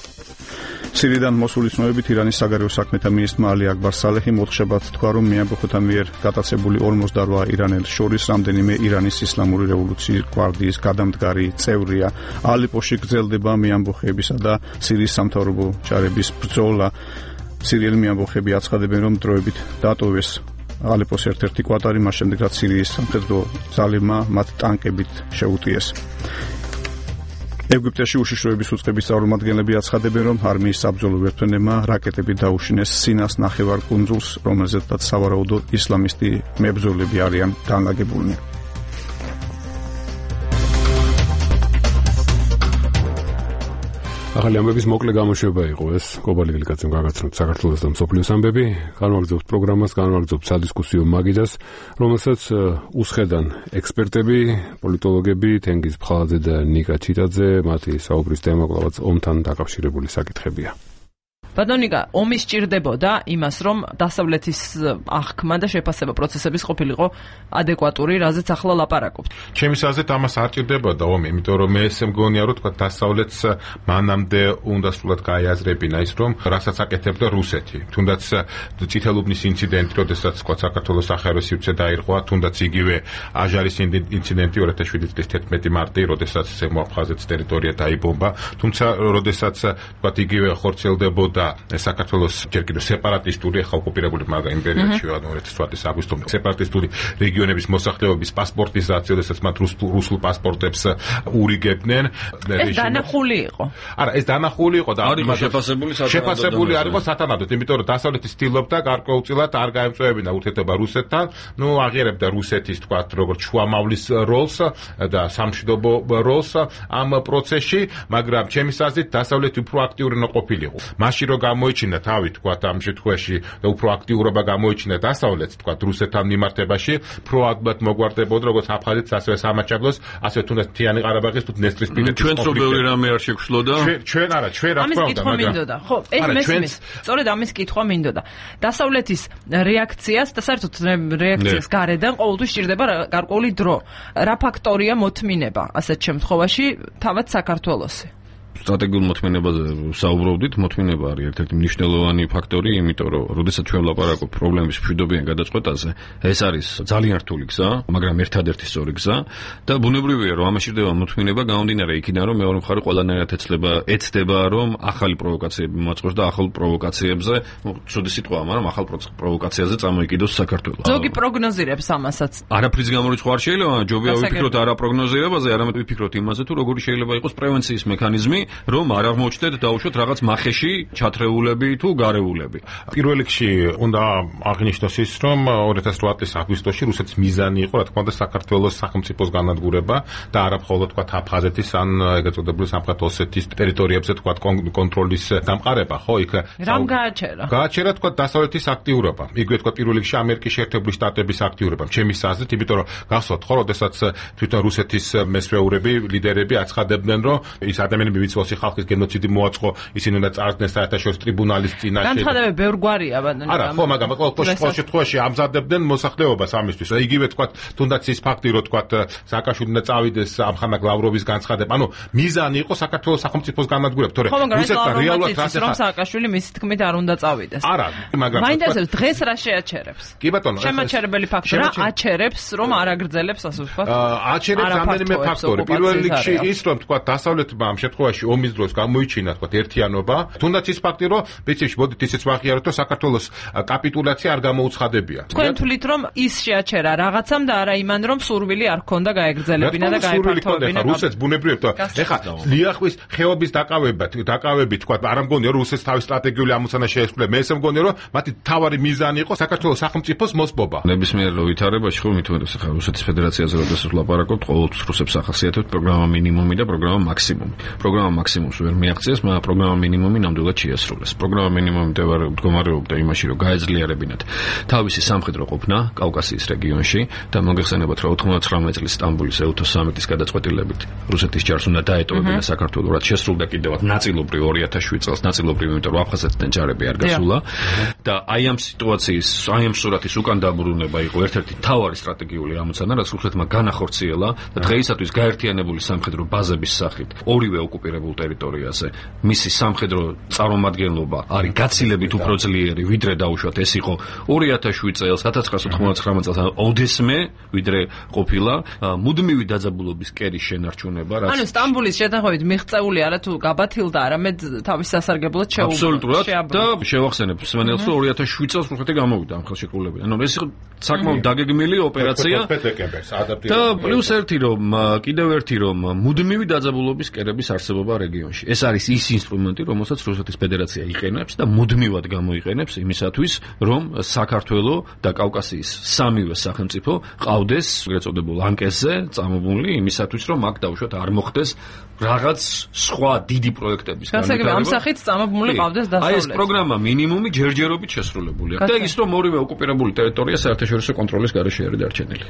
სირიიდან მოსული ცნობებით ირანის საგარეო საქმეთა მინისტრმა ალი აკბარ სალეჰი მოთხრობად თქვა, რომ მიამბოხოთა მიერ გატაცებული 48 ირანელს შორის რამდენიმე ირანის ისლამური რევოლუციის გვარდიის გადამდგარი წევრია. ალეპოში გრძელდება მიამბოხეებისა და სირიის სამთავრობო ჯარების ბრძოლა. სირიელი მიამბოხეები აცხადებენ, რომ დროებით დატოვეს ალეპოს ერთ-ერთი კვარტალი, მას შემდეგ რაც სირიის სამხედრო ძალებმა მათ ტანკებით შეუტიეს. ეგვიპტეში უშიშროების უწყების წარმომადგენლები აცხადებენ, რომ არმიის საბრძოლო ვერტმფრენებმა რაკეტები დაუშინეს სინას ნახევარკუნძულს, რომელზედაც სავარაუდოდ ისლამისტი მებრძოლები არიან განლაგებულნი. ახალი ამბების მოკლე გამოშვება იყო ეს. კობალი გელიკაძემ გაგაცნოთ საქართველოს და მსოფლიოს ამბები. განვაგრძობთ პროგრამას, განვაგრძობთ სადისკუსიო მაგიდას, რომელსაც უსხედან ექსპერტები, პოლიტოლოგები, თენგიზ ფხალაძე და ნიკა ჩიტაძე. მათი საუბრის თემა კვლავაც ომთან დაკავშირებული საკითხებია. ბატონიკა, ომი სჭირდებოდა იმას, რომ დასავლეთის აღქმა და შეფასება პროცესების ყოფილიყო ადეკვატური, რაზეც ახლა ლაპარაკობთ. ჩემის აზრით ამას არ ჭირდებოდა ომი, იმიტომ რომ მე ესე მგონია, რომ თქვა დასავლეთს მანამდე უნდა სულად გაიაზრებინა ის, რომ რასაც აკეთებდა რუსეთი. თუნდაც წითელუბნის ინციდენტი, როდესაც თქვა საქართველოს სახარო სივრცე დაირღვა, თუნდაც იგივე აჟარის ინციდენტი 2007 წლის 11 მარტი, როდესაც ზემოაფხაზეთის ტერიტორია დაიბომბა, თუმცა როდესაც თქვა იგივე ხორციელდებოდა საქართველოს ჯერ კიდევ სეპარატისტული ახალ ოკუპირებული მაგა იმპერიაში 2008 აგვისტომდე სეპარატისტული რეგიონების მოსახლეობის პასპორტიზაცია, როდესაც მათ რუსულ პასპორტებს ურიგებდნენ. ეს დანახული იყო. არა, ეს დანახული იყო და შეფასებული არ იყო სათანადოდ, იმიტომ რომ დასავლეთი ცდილობდა გარკვეულწილად არ გაემწვევინა ურთიერთობა რუსეთთან, აღიარებდა რუსეთის თქვა როგორც შუამავლის როლს და სამშვიდობო როლს ამ პროცესში, მაგრამ ჩემის აზრით დასავლეთი უფრო აქტიური უნდა ყოფილიყო. მაშინ რომ გამოიჩინა თავი თქვა ამ შემთხვევაში და უფრო აქტიურობა გამოიჩინა დასავლეთს თქვა რუსეთთან მიმართებაში, პროაქტულად მოგვარდებოდა როგორც აფხაზეთს, ასევე სამაჩაბლოს, ასევე თუნდაც მთიანი ყარაბაღის თუ დნესტრისპირეთის ჩვენც რო ბევრი რამე არ შეგვშლოდა. ჩვენ რა თქმა უნდა, მაგრამ ხო, ეს მესმის. სწორედ ამის კითხვა მინდოდა. დასავლეთის რეაქციას და საერთოდ რეაქციას გარედან ყოველთვის სჭირდება გარკვეული დრო. რა ფაქტორია მოთმინება ასეთ შემთხვევაში თავად საქართველოსი? სტრატეგიულ მოთმინებაზე საუბრობდით, მოთმინება არის ერთ-ერთი მნიშვნელოვანი ფაქტორი, იმიტომ რომ როდესაც ჩვენ ვლაპარაკობთ პრობლემების მშვიდობიან გადაწყვეტაზე, ეს არის ძალიან რთული გზა, მაგრამ ერთადერთი სწორი გზა და ბუნებრივია, რომ ამაში ხდება მოთმინება გამომდინარე იქიდან, რომ მეორე მხარე ყველანაირად ეცდება, რომ ახალი პროვოკაციები მოაწყოს და ახალ პროვოკაციებზე, ცუდი სიტყვაა, მაგრამ ახალ პროვოკაციაზე წამოიკიდოს საქართველო. ზოგი პროგნოზირებს ამასაც. არაფრის გამორიცხვა არ შეიძლება, ჯობია ვიფიქროთ არა პროგნოზირებაზე, არამედ ვიფიქროთ იმაზე, თუ როგორი შეიძლება იყოს პრევენციის მექანიზმი, რომ არ აღმოჩნდეთ დაუშვათ რაღაც მახეში ჩათრეულები თუ გარეულები. პირველ რიგში უნდა აღინიშნოს ის, რომ 2008 წლის აგვისტოში რუსეთის მიზანი იყო, რა თქმა უნდა, საქართველოს სახელმწიფოს განადგურება და არა მხოლოდ თქვა აფხაზეთის ან ეგრეთ წოდებული სამხრეთ ოსეთის ტერიტორიებზე თქვა კონტროლის დამყარება, ხო, იქ რამ გააჩერა? გააჩერა თქვა დასავლეთის აქტიურობა. იგივე თქვა პირველ რიგში ამერიკის შეერთებული შტატების აქტიურობა. ჩემის აზრით, იმიტომ რომ გახსოვთ ხო, როდესაც თვითონ რუსეთის მესვეურები, ლიდერები აცხადებდნენ, რომ ის ადამიანები ვიცი ხალხის გენოციდი მოაწყო, ისინი უნდა წარდგნენ საერთაშორისო ტრიბუნალის წინაშე. განცხადებები ბევრ გვარია, ბატონო. არა, ხო, მაგრამ ყოველ შემთხვევაში ამზადებდნენ მოსახლეობას ამისთვის. იგივე თქვა, თუნდაც ის ფაქტი, რომ თქვა სააკაშვილი უნდა წავიდეს ამხანაგ ლავროვის განცხადება. მიზანი იყო საქართველოს სახელმწიფოს განადგურება, თორე რუსეთთან რეალურად რომ სააკაშვილი მისი თქმით არ უნდა წავიდეს. არა, მაგრამ მაინტერესებს დღეს რა შეაჩერებს? კი ბატონო, შემაჩერებელი ფაქტორი რა აჩერებს, რომ არ აგრძელებს ასე ვთქვათ? აჩერებს რამდენიმე ფაქტორი. პირველ რიგში ის, რომ თქვა დასავლეთმა ამ შემთხვევაში საქართველოში ომის დროს გამოიჩინა თქვა ერთიანობა, თუნდაც ის ფაქტი, რომ პრინციპში მოდით ისიც ვაღიაროთ, რომ საქართველოს კაპიტულაცია არ გამოუცხადებია. თქვენ თვლით, რომ ის შეაჩერა რაღაცამ და არა იმან, რომ სურვილი არ ქონდა გაეგრძელებინა და გაიფართოვებინა. რუსეთს ბუნებრივად ეხლა ლიახვის ხეობის დაკავებით თქვა, არ მგონია რომ რუსეთს თავის სტრატეგიული ამოცანა შეესრულა. მე ესე მგონია რომ მათი თავარი მიზანი იყო საქართველოს სახელმწიფოს მოსპობა. ნებისმიერ ვითარებაში ხო მithumetes ახლა რუსეთის ფედერაციაზე როდესაც ვლაპარაკობთ, ყოველთვის რუსებს ახასიათებთ პროგრამა მინიმუმი და პროგრამა მაქსიმუმი. პროგრამა მაქსიმუმს ვერ მიაღწიეს, მაგრამ პროგრამა მინიმუმი ნამდვილად შეასრულეს. პროგრამა მინიმუმი მდგომარეობდა იმაში, რომ გაეძლიერებინათ თავისი სამხედრო ყოფნა კავკასიის რეგიონში და მოგეხსენებათ, რომ 99 წლის სტამბოლის ეუთო სამიტის გადაწყვეტილებით რუსეთის ჯარს უნდა დაეტოვებინა საქართველოს, რაც შესრულდა კიდევაც ნაწილობრივ 2007 წელს, ნაწილობრივ იმიტომ რომ აფხაზეთიდან ჯარები არ გასულა და აი ამ სიტუაციის, აი ამ სურათის უკან დაბრუნება იყო ერთ-ერთი მთავარი სტრატეგიული ამოცანა, რაც რუსეთმა განახორციელა და დღეისათვის გაერთიანებული სამხედრო ბაზების სახით ორივე ოკუპირებულ ტერიტორიაზე მისი სამხედრო წარმომადგენლობა არის გაცილებით უფრო ძლიერი, ვიდრე დაუშვათ ეს იყო 2007 წელს, 1999 წელს ოდესმე, ვიდრე ყოფილა მუდმივი დაძაბულობის კერის შენარჩუნება, რაც ანუ სტამბოლის შეთანხმებით მიღწეული არა თუ გაბათილდა, არამედ თავის სასარგებლოდ შეუბრუნდა. აბსოლუტურად და შევახსენებ სვენელს, რომ 2007 წელს რუსეთი გამოვიდა ამ ხელშეკრულებიდან. ანუ ეს იყო საკმაოდ დაგეგმილი ოპერაცია და პლუს კიდევ ერთი რომ მუდმივი დაძაბულობის კერების არსებობა რეგიონში. ეს არის ის ინსტრუმენტი, რომელსაც რუსეთის ფედერაცია იყენებს და მუდმივად გამოიყენებს იმისათვის, რომ საქართველოს და კავკასიის სამივე სახელმწიფო ყავდეს ეგრეთ წოდებულ ანკესზე წამობული იმისათვის, რომ აქ დაუშვათ არ მოხდეს რაღაც სხვა დიდი პროექტების განვითარება. ამ სახით წამობული ყავდეს დასავლეთ. აი ეს პროგრამა მინიმუმი ჯერჯერობით შესრულებული აქვს. და ის რომ ორივე ოკუპირებული ტერიტორია საერთაშორისო კონტროლის გარეშე არის დარჩენილი.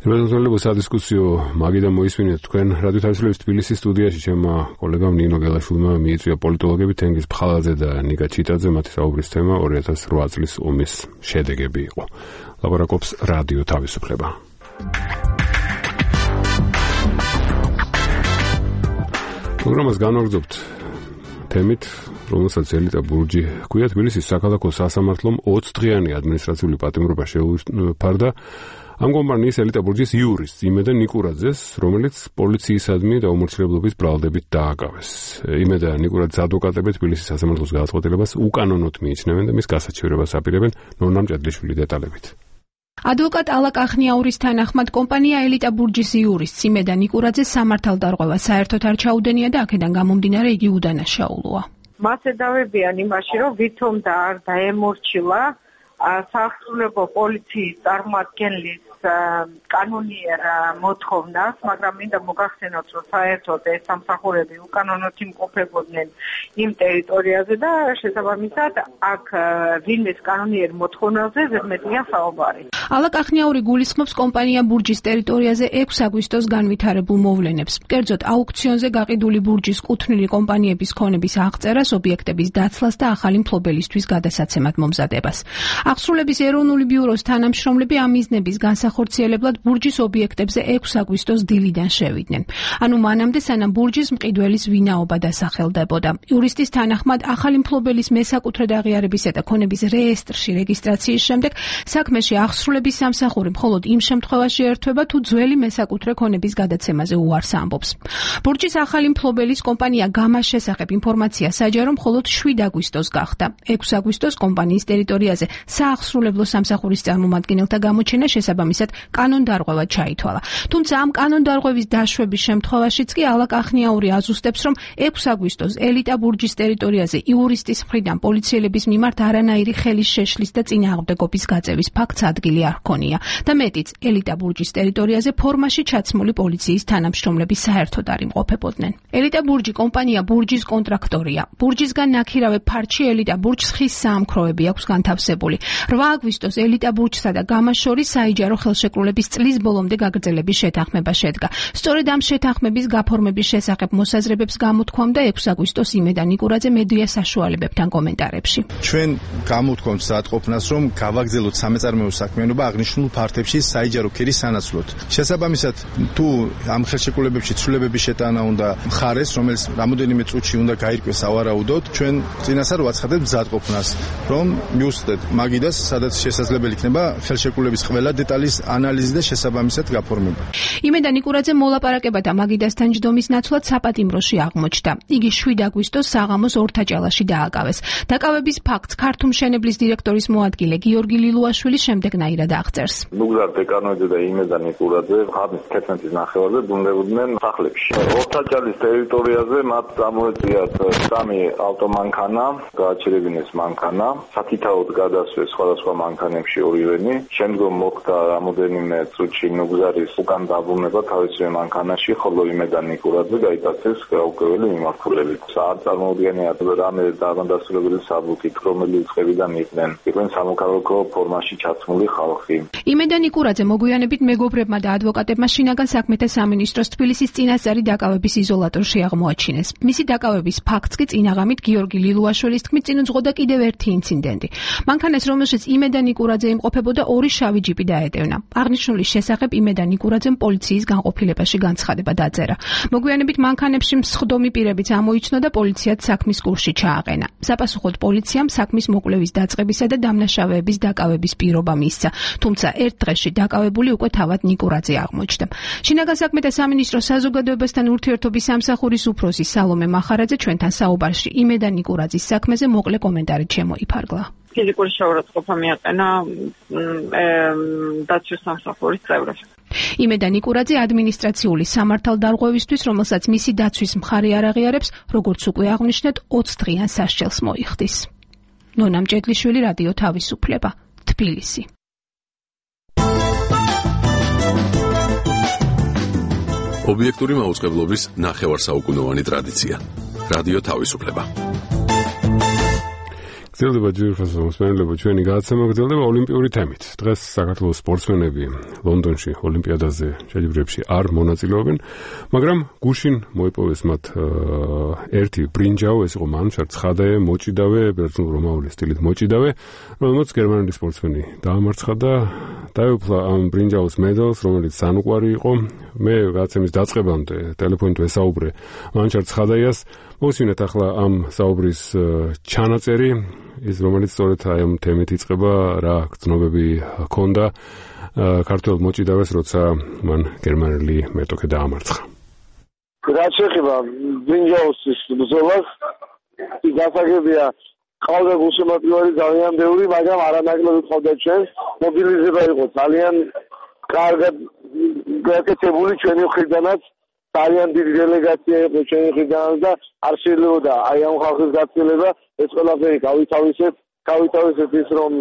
დეპუტატებო სადისკუსიო მაგიდან მოისმინეთ თქვენ რადიო თავისუფლების თბილისის სტუდიაში ჩემმა კოლეგამ ნინო გელაშვილმა მიიწვია პოლიტოლოგები თენგიზ ფხალაძე და ნიკა ჩიტაძე მათი საუბრის თემა 2008 წლის ომის შედეგები იყო. ლაპარაკობს რადიო თავისუფლება. პროგრამას განვაგრძობთ თემით, რომელსაც ელიტა ბურჯი ჰქვია. თბილისის საქალაქო სასამართლომ 20 დღიანი ადმინისტრაციული პატიმრობა შეუფარდა ამ კომპანიის ელიტა ბურჯის იურისტს იმედა ნიკურაძეს, რომელიც პოლიციისადმი და უმორჩილებლობის ბრალდებით დააკავეს. იმედა ნიკურაძის ადვოკატები თბილისის სასამართლოს გადაწყვეტილებას უკანონოდ მიიჩნევენ და მის გასაჩივრებას აპირებენ. ნონა მჭედლიშვილი დეტალებით. ადვოკატ ალა კახნიაურის თანახმად კომპანია ელიტა ბურჯის იურისტს იმედა ნიკურაძეს სამართალდარღვევა საერთოდ არ ჩაუდენია და აქედან გამომდინარე იგი უდანაშაულოა. მას ედავებიან იმაში, რომ ვითომ და არ დაემორჩილა საახსრულებო პოლიციის წარმომადგენლის კანონიერ მოთხოვნას, მაგრამ მინდა მოგახსენოთ, რომ საერთოდ ეს სამსახურები უკანონოდ იმყოფებოდნენ იმ ტერიტორიაზე და შესაბამისად აქ ვინმეს კანონიერ მოთხოვნაზე ზედმეტია საუბარი. ალა კახნიაური გულისხმობს კომპანია ბურჯის ტერიტორიაზე 6 აგვისტოს განვითარებულ მოვლენებს. კერძოდ აუქციონზე გაყიდული ბურჯის კუთვნილი კომპანიების ქონების აღწერას, ობიექტების დაცლას და ახალი მფლობელისთვის გადასაცემად მომზადებას. აღსრულების ეროვნული ბიუროს თანამშრომლები ამ მიზნების განსახორციელებლად ბურჯის ობიექტებზე 6 აგვისტოს დილიდან შევიდნენ. ანუ მანამდე სანამ ბურჯის მყიდველის ვინაობა დასახელდებოდა. იურისტის თანახმად ახალი მფლობელის მესაკუთრედ აღიარებისა და ქონების რეესტრში რეგისტრაციის შემდეგ საქმეში აღსრულების სამსახური მხოლოდ იმ შემთხვევაში ერთვება, თუ ძველი მესაკუთრე ქონების გადაცემაზე უარს ამბობს. ბურჯის ახალი მფლობელის კომპანია გამას შესახებ ინფორმაცია საჯარო მხოლოდ 7 აგვისტოს გახდა. 6 აგვისტოს კომპანიის ტერიტორიაზე საახსრულებლო სამსახურის წარმომადგენელთა გამოჩენა შესაბამისად კანონდარღვევა ჩაითვალა. თუმცა ამ კანონდარღვევის დაშვების შემთხვევაშიც კი ალა კახნიაური აზუსტებს, რომ 6 აგვისტოს ელიტა ბურჯის ტერიტორიაზე იურისტის მხრიდან პოლიციელების მიმართ არანაირი ხელის შეშლის და წინააღმდეგობის გაწევის ფაქტს ადგილი არ ჰქონია და მეტიც ელიტა ბურჯის ტერიტორიაზე ფორმაში ჩაცმული პოლიციის თანამშრომლები საერთოდ არ იმყოფებოდნენ. ელიტა ბურჯი კომპანია ბურჯის კონტრაქტორია. ბურჯისგან ნაქირავე ფარჩი ელიტა ბურჯს ხის საამქროები აქვს განთავსებული. 8 აგვისტოს ელიტა ბურჯსა და გამას შორის საიჯარო ხელშეკრულების წლის ბოლომდე გაგრძელების შეთანხმება შედგა. სწორედ ამ შეთანხმების გაფორმების შესახებ მოსაზრებებს გამოთქვამდა 6 აგვისტოს იმედა ნიკურაძე მედია საშუალებებთან კომენტარებში. ჩვენ გამოთქვამთ საათყოფნას, რომ გავაგრძელოთ სამეწარმეო საქმიანობა აღნიშნულ ფართებში საიჯარო ქირის სანაცვლოდ. შესაბამისად, თუ ამ ხელშეკრულებებში ცვლილებების შეტანა უნდა მხარეს, რომელიც რამოდენიმე წუთში უნდა გაირკვეს სავარაუდოდ, ჩვენ წინასწარ ვაცხადებთ მზადყოფნას, რომ მიუსწრეთ მაგ გიდას, სადაც შესაძლებელი იქნება ხელშეკრულების ყველა დეტალის ანალიზი და შესაბამისად გაფორმება. იმედან ნიკურაძე მოლაპარაკებათა მაგიდასთან ჯდომის ნაცვლად საპატიმროში აღმოჩნდა. იგი 7 აგვისტოს საღამოს ორთაჭალაში დააკავეს. დაკავების ფაქტს ქართუმშენებლის დირექტორის მოადგილე გიორგი ლილუაშვილი შემდეგნაირად აღწერს. ნუგზარ დეკანოიძე და იმედან ნიკურაძე ღამის 11-ის ნახევარზე ბრუნდებოდნენ სახლებში. ორთაჭალის ტერიტორიაზე მათ წამოეწიათ 3 ავტომანქანა, გააჩერებინეს მანქანა, საკითხაოდ გადასვეს სხვადასხვა მანქანებში ორივენი. შემდგომ მოხდა რამოდენიმე წუთში ნუგზარის უკან დაბრუნება თავისივე მანქანაში, ხოლო იმედან ნიკურაძე გაიტაცეს გაუკვირველი მიმართულებით. არ წარმოუდგენია რამე დამადასტურებელი საბუთით, რომელი წყებიდან იყვნენ სამოქალაქო ფორმაში ჩაცმული ხალხი. იმედან ნიკურაძე მოგვიანებით მეგობრებმა და ადვოკატებმა შინაგან საქმეთა სამინისტროს თბილისის წინასწარი დაკავების იზოლატორში აღმოაჩინეს. მისი დაკავების ფაქტს კი წინაღამით გიორგი ლილუაშვილის თქმით წინ უძღოდა კიდევ ერთი ინციდენტი. მანქანას, რომელშიც იმედან ნიკურაძე იმყოფებოდა, 2 შავი ჯიპი დაეტევნა. აღნიშნული შესახებ იმედან ნიკურაძემ პოლიციის განყოფილებაში განცხადება დაწერა. მოგვიანებით მანქანებში მსხდომი პირებიც ამოიცნო და პოლიციად საქმის კურსში ჩააყენა. საპასუხოდ პოლიციამ საქმის მოკვლევის დაწყებისა და დამნაშავეების დაკავების პირობა მისცა, თუმცა ერთ დღეში დაკავებული უკვე თავად ნიკურაძე აღმოჩნდა. შინაგან საქმეთა სამინისტროს საზოგადოებასთან ურთიერთობის სამსახურის უფროსი სალომე მახარაძე ჩვენთან საუბარში იმედან ნიკურაძის საქმეზე მოკლე კომენტარით შემოიფარგლა. ფიზიკური შეურაცხყოფა მიაყენა დაცვის სამსახურის წევრებს. იმედან ნიკურაძე ადმინისტრაციული სამართალდარღვევისთვის, რომელსაც მისი დაცვის მხარი არ აღიარებს, როგორც უკვე აღვნიშნეთ, 20 დღიან სასჯელს მოიხდის. ნონა მჭედლიშვილი, რადიო თავისუფლება, თბილისი. ობიექტური მაუწყებლობის ნახევარსაუკუნოვანი ტრადიცია. რადიო თავისუფლება. გრძელდება ჯგუფასო მოსმენელებო ჩვენი გადაცემა გრძელდება ოლიმპიური თემით. დღეს საქართველოს სპორტსმენები ლონდონში ოლიმპიადაზე შეჯიბრებებში არ მონაწილეობენ, მაგრამ გუშინ მოიპოვეს მათ ერთი ბრინჯაო, ეს იყო მანჩარ ცხადე, მოჭიდავე, ბერძნულ-რომაული სტილით მოჭიდავე, რომელმაც გერმანელი სპორტსმენი დაამარცხა და დაეუფლა ამ ბრინჯაოს მედალს, რომელიც სანუკვარი იყო. მე გადაცემის დაწყებამდე ტელეფონით ვესაუბრე მანჩარ ცხადაიას. მოვსმინეთ ახლა ამ საუბრის ჩანაწერი, ის რომელიც სწორედ აი ამ თემით იწყება, რა გრძნობები ჰქონდა ქართველ მოჭიდავეს, როცა მან გერმანელი მეტოქე დაამარცხა. რაც შეეხება ბრინჯაოს ბრძოლას, ის გასაგებია, ყავდა გულშემატკივარი ძალიან ბევრი, მაგრამ არანაკლები ყავდა ჩვენს. მობილიზება იყო ძალიან კარგად გაკეთებული ჩვენი მხრიდანაც. ძალიან დიდი დელეგაცია იყო ჩვენი მხრიდან და არ შეიძლებოდა აი ამ ხალხის გაწილება, ეს ყველაფერი გავითავისეთ ის, რომ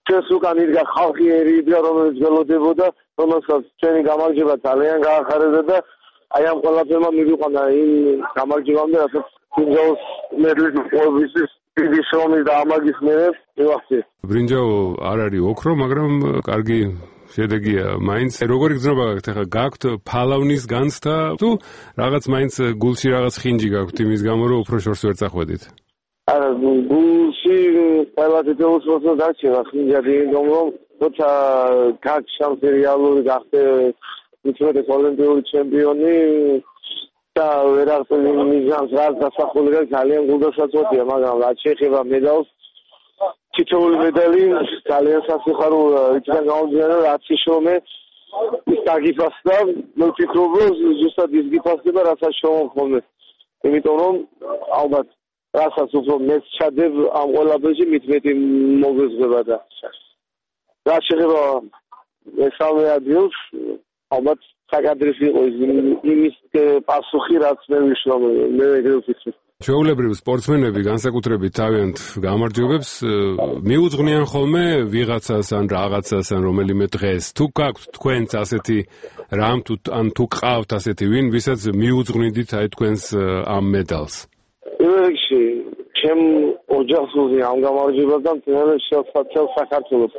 ჩვენს უკან იდგა ხალხი ერიდა, რომელიც ველოდებოდა, რომელსაც ჩვენი გამარჯვება ძალიან გაახარებდა და აი ამ ყველაფერმა მივიყვანა იმ გამარჯვებამდე, რასაც ბრინჯაოს მედლის მოპოვებისთვის დიდი შრომის და ამაგის მერე მივახციეს. ბრინჯაო არ არის ოქრო, მაგრამ კარგი შედეგია მაინც. როგორი გრძნობა გაქვთ ახლა? გაქვთ ფალავნის განცდა თუ რაღაც მაინც გულში რაღაც ხინჯი გაქვთ იმის გამო, რომ უფრო შორს ვერ წახვედით? არა, გულში ყველა თითოეულს მოსწონს დარჩება ხინჯად, იმიტომ რომ თორსა გაჩამ რეალური გახდე უცხოეთის ოლიმპიური ჩემპიონი და ვერაღწ მიზანს რაც დასახული და ძალიან გულდასაწყვეტია, მაგრამ რაც შეეხება მედალს, თითოეული მედალი ძალიან სასიხარულოა, იქიდან გამომდინარე, რაც შრომე ის დაგიფასდა, მე ვფიქრობ, რომ ზუსტად ის გიფასდება, რასაც შრომობ. იმიტომ რომ ალბათ რასაც უფრო მეც ჩადებ ამ ყველაფერში, მით მეტი მოგეზღება და რაც შეეხება მესამე ადგილს, ალბათ საკადრისი იყო იმის პასუხი, რაც მე ვიშრომ, მე ეგრე ვფიქრობ. ჩვეულებრივ სპორტსმენები განსაკუთრებით თავიანთ გამარჯვებებს მიუძღვნიან ხოლმე ვიღაცას ან რაღაცას ან რომელიმე დღეს. თუ გაქვთ თქვენც ასეთი რამ თუ გყავთ ასეთი ვინ, ვისაც მიუძღვნიდით აი თქვენს ამ მედალს? რიგში ჩემ ოჯახს უზი ამ გამარჯვებასთან მთელ საქართველოს.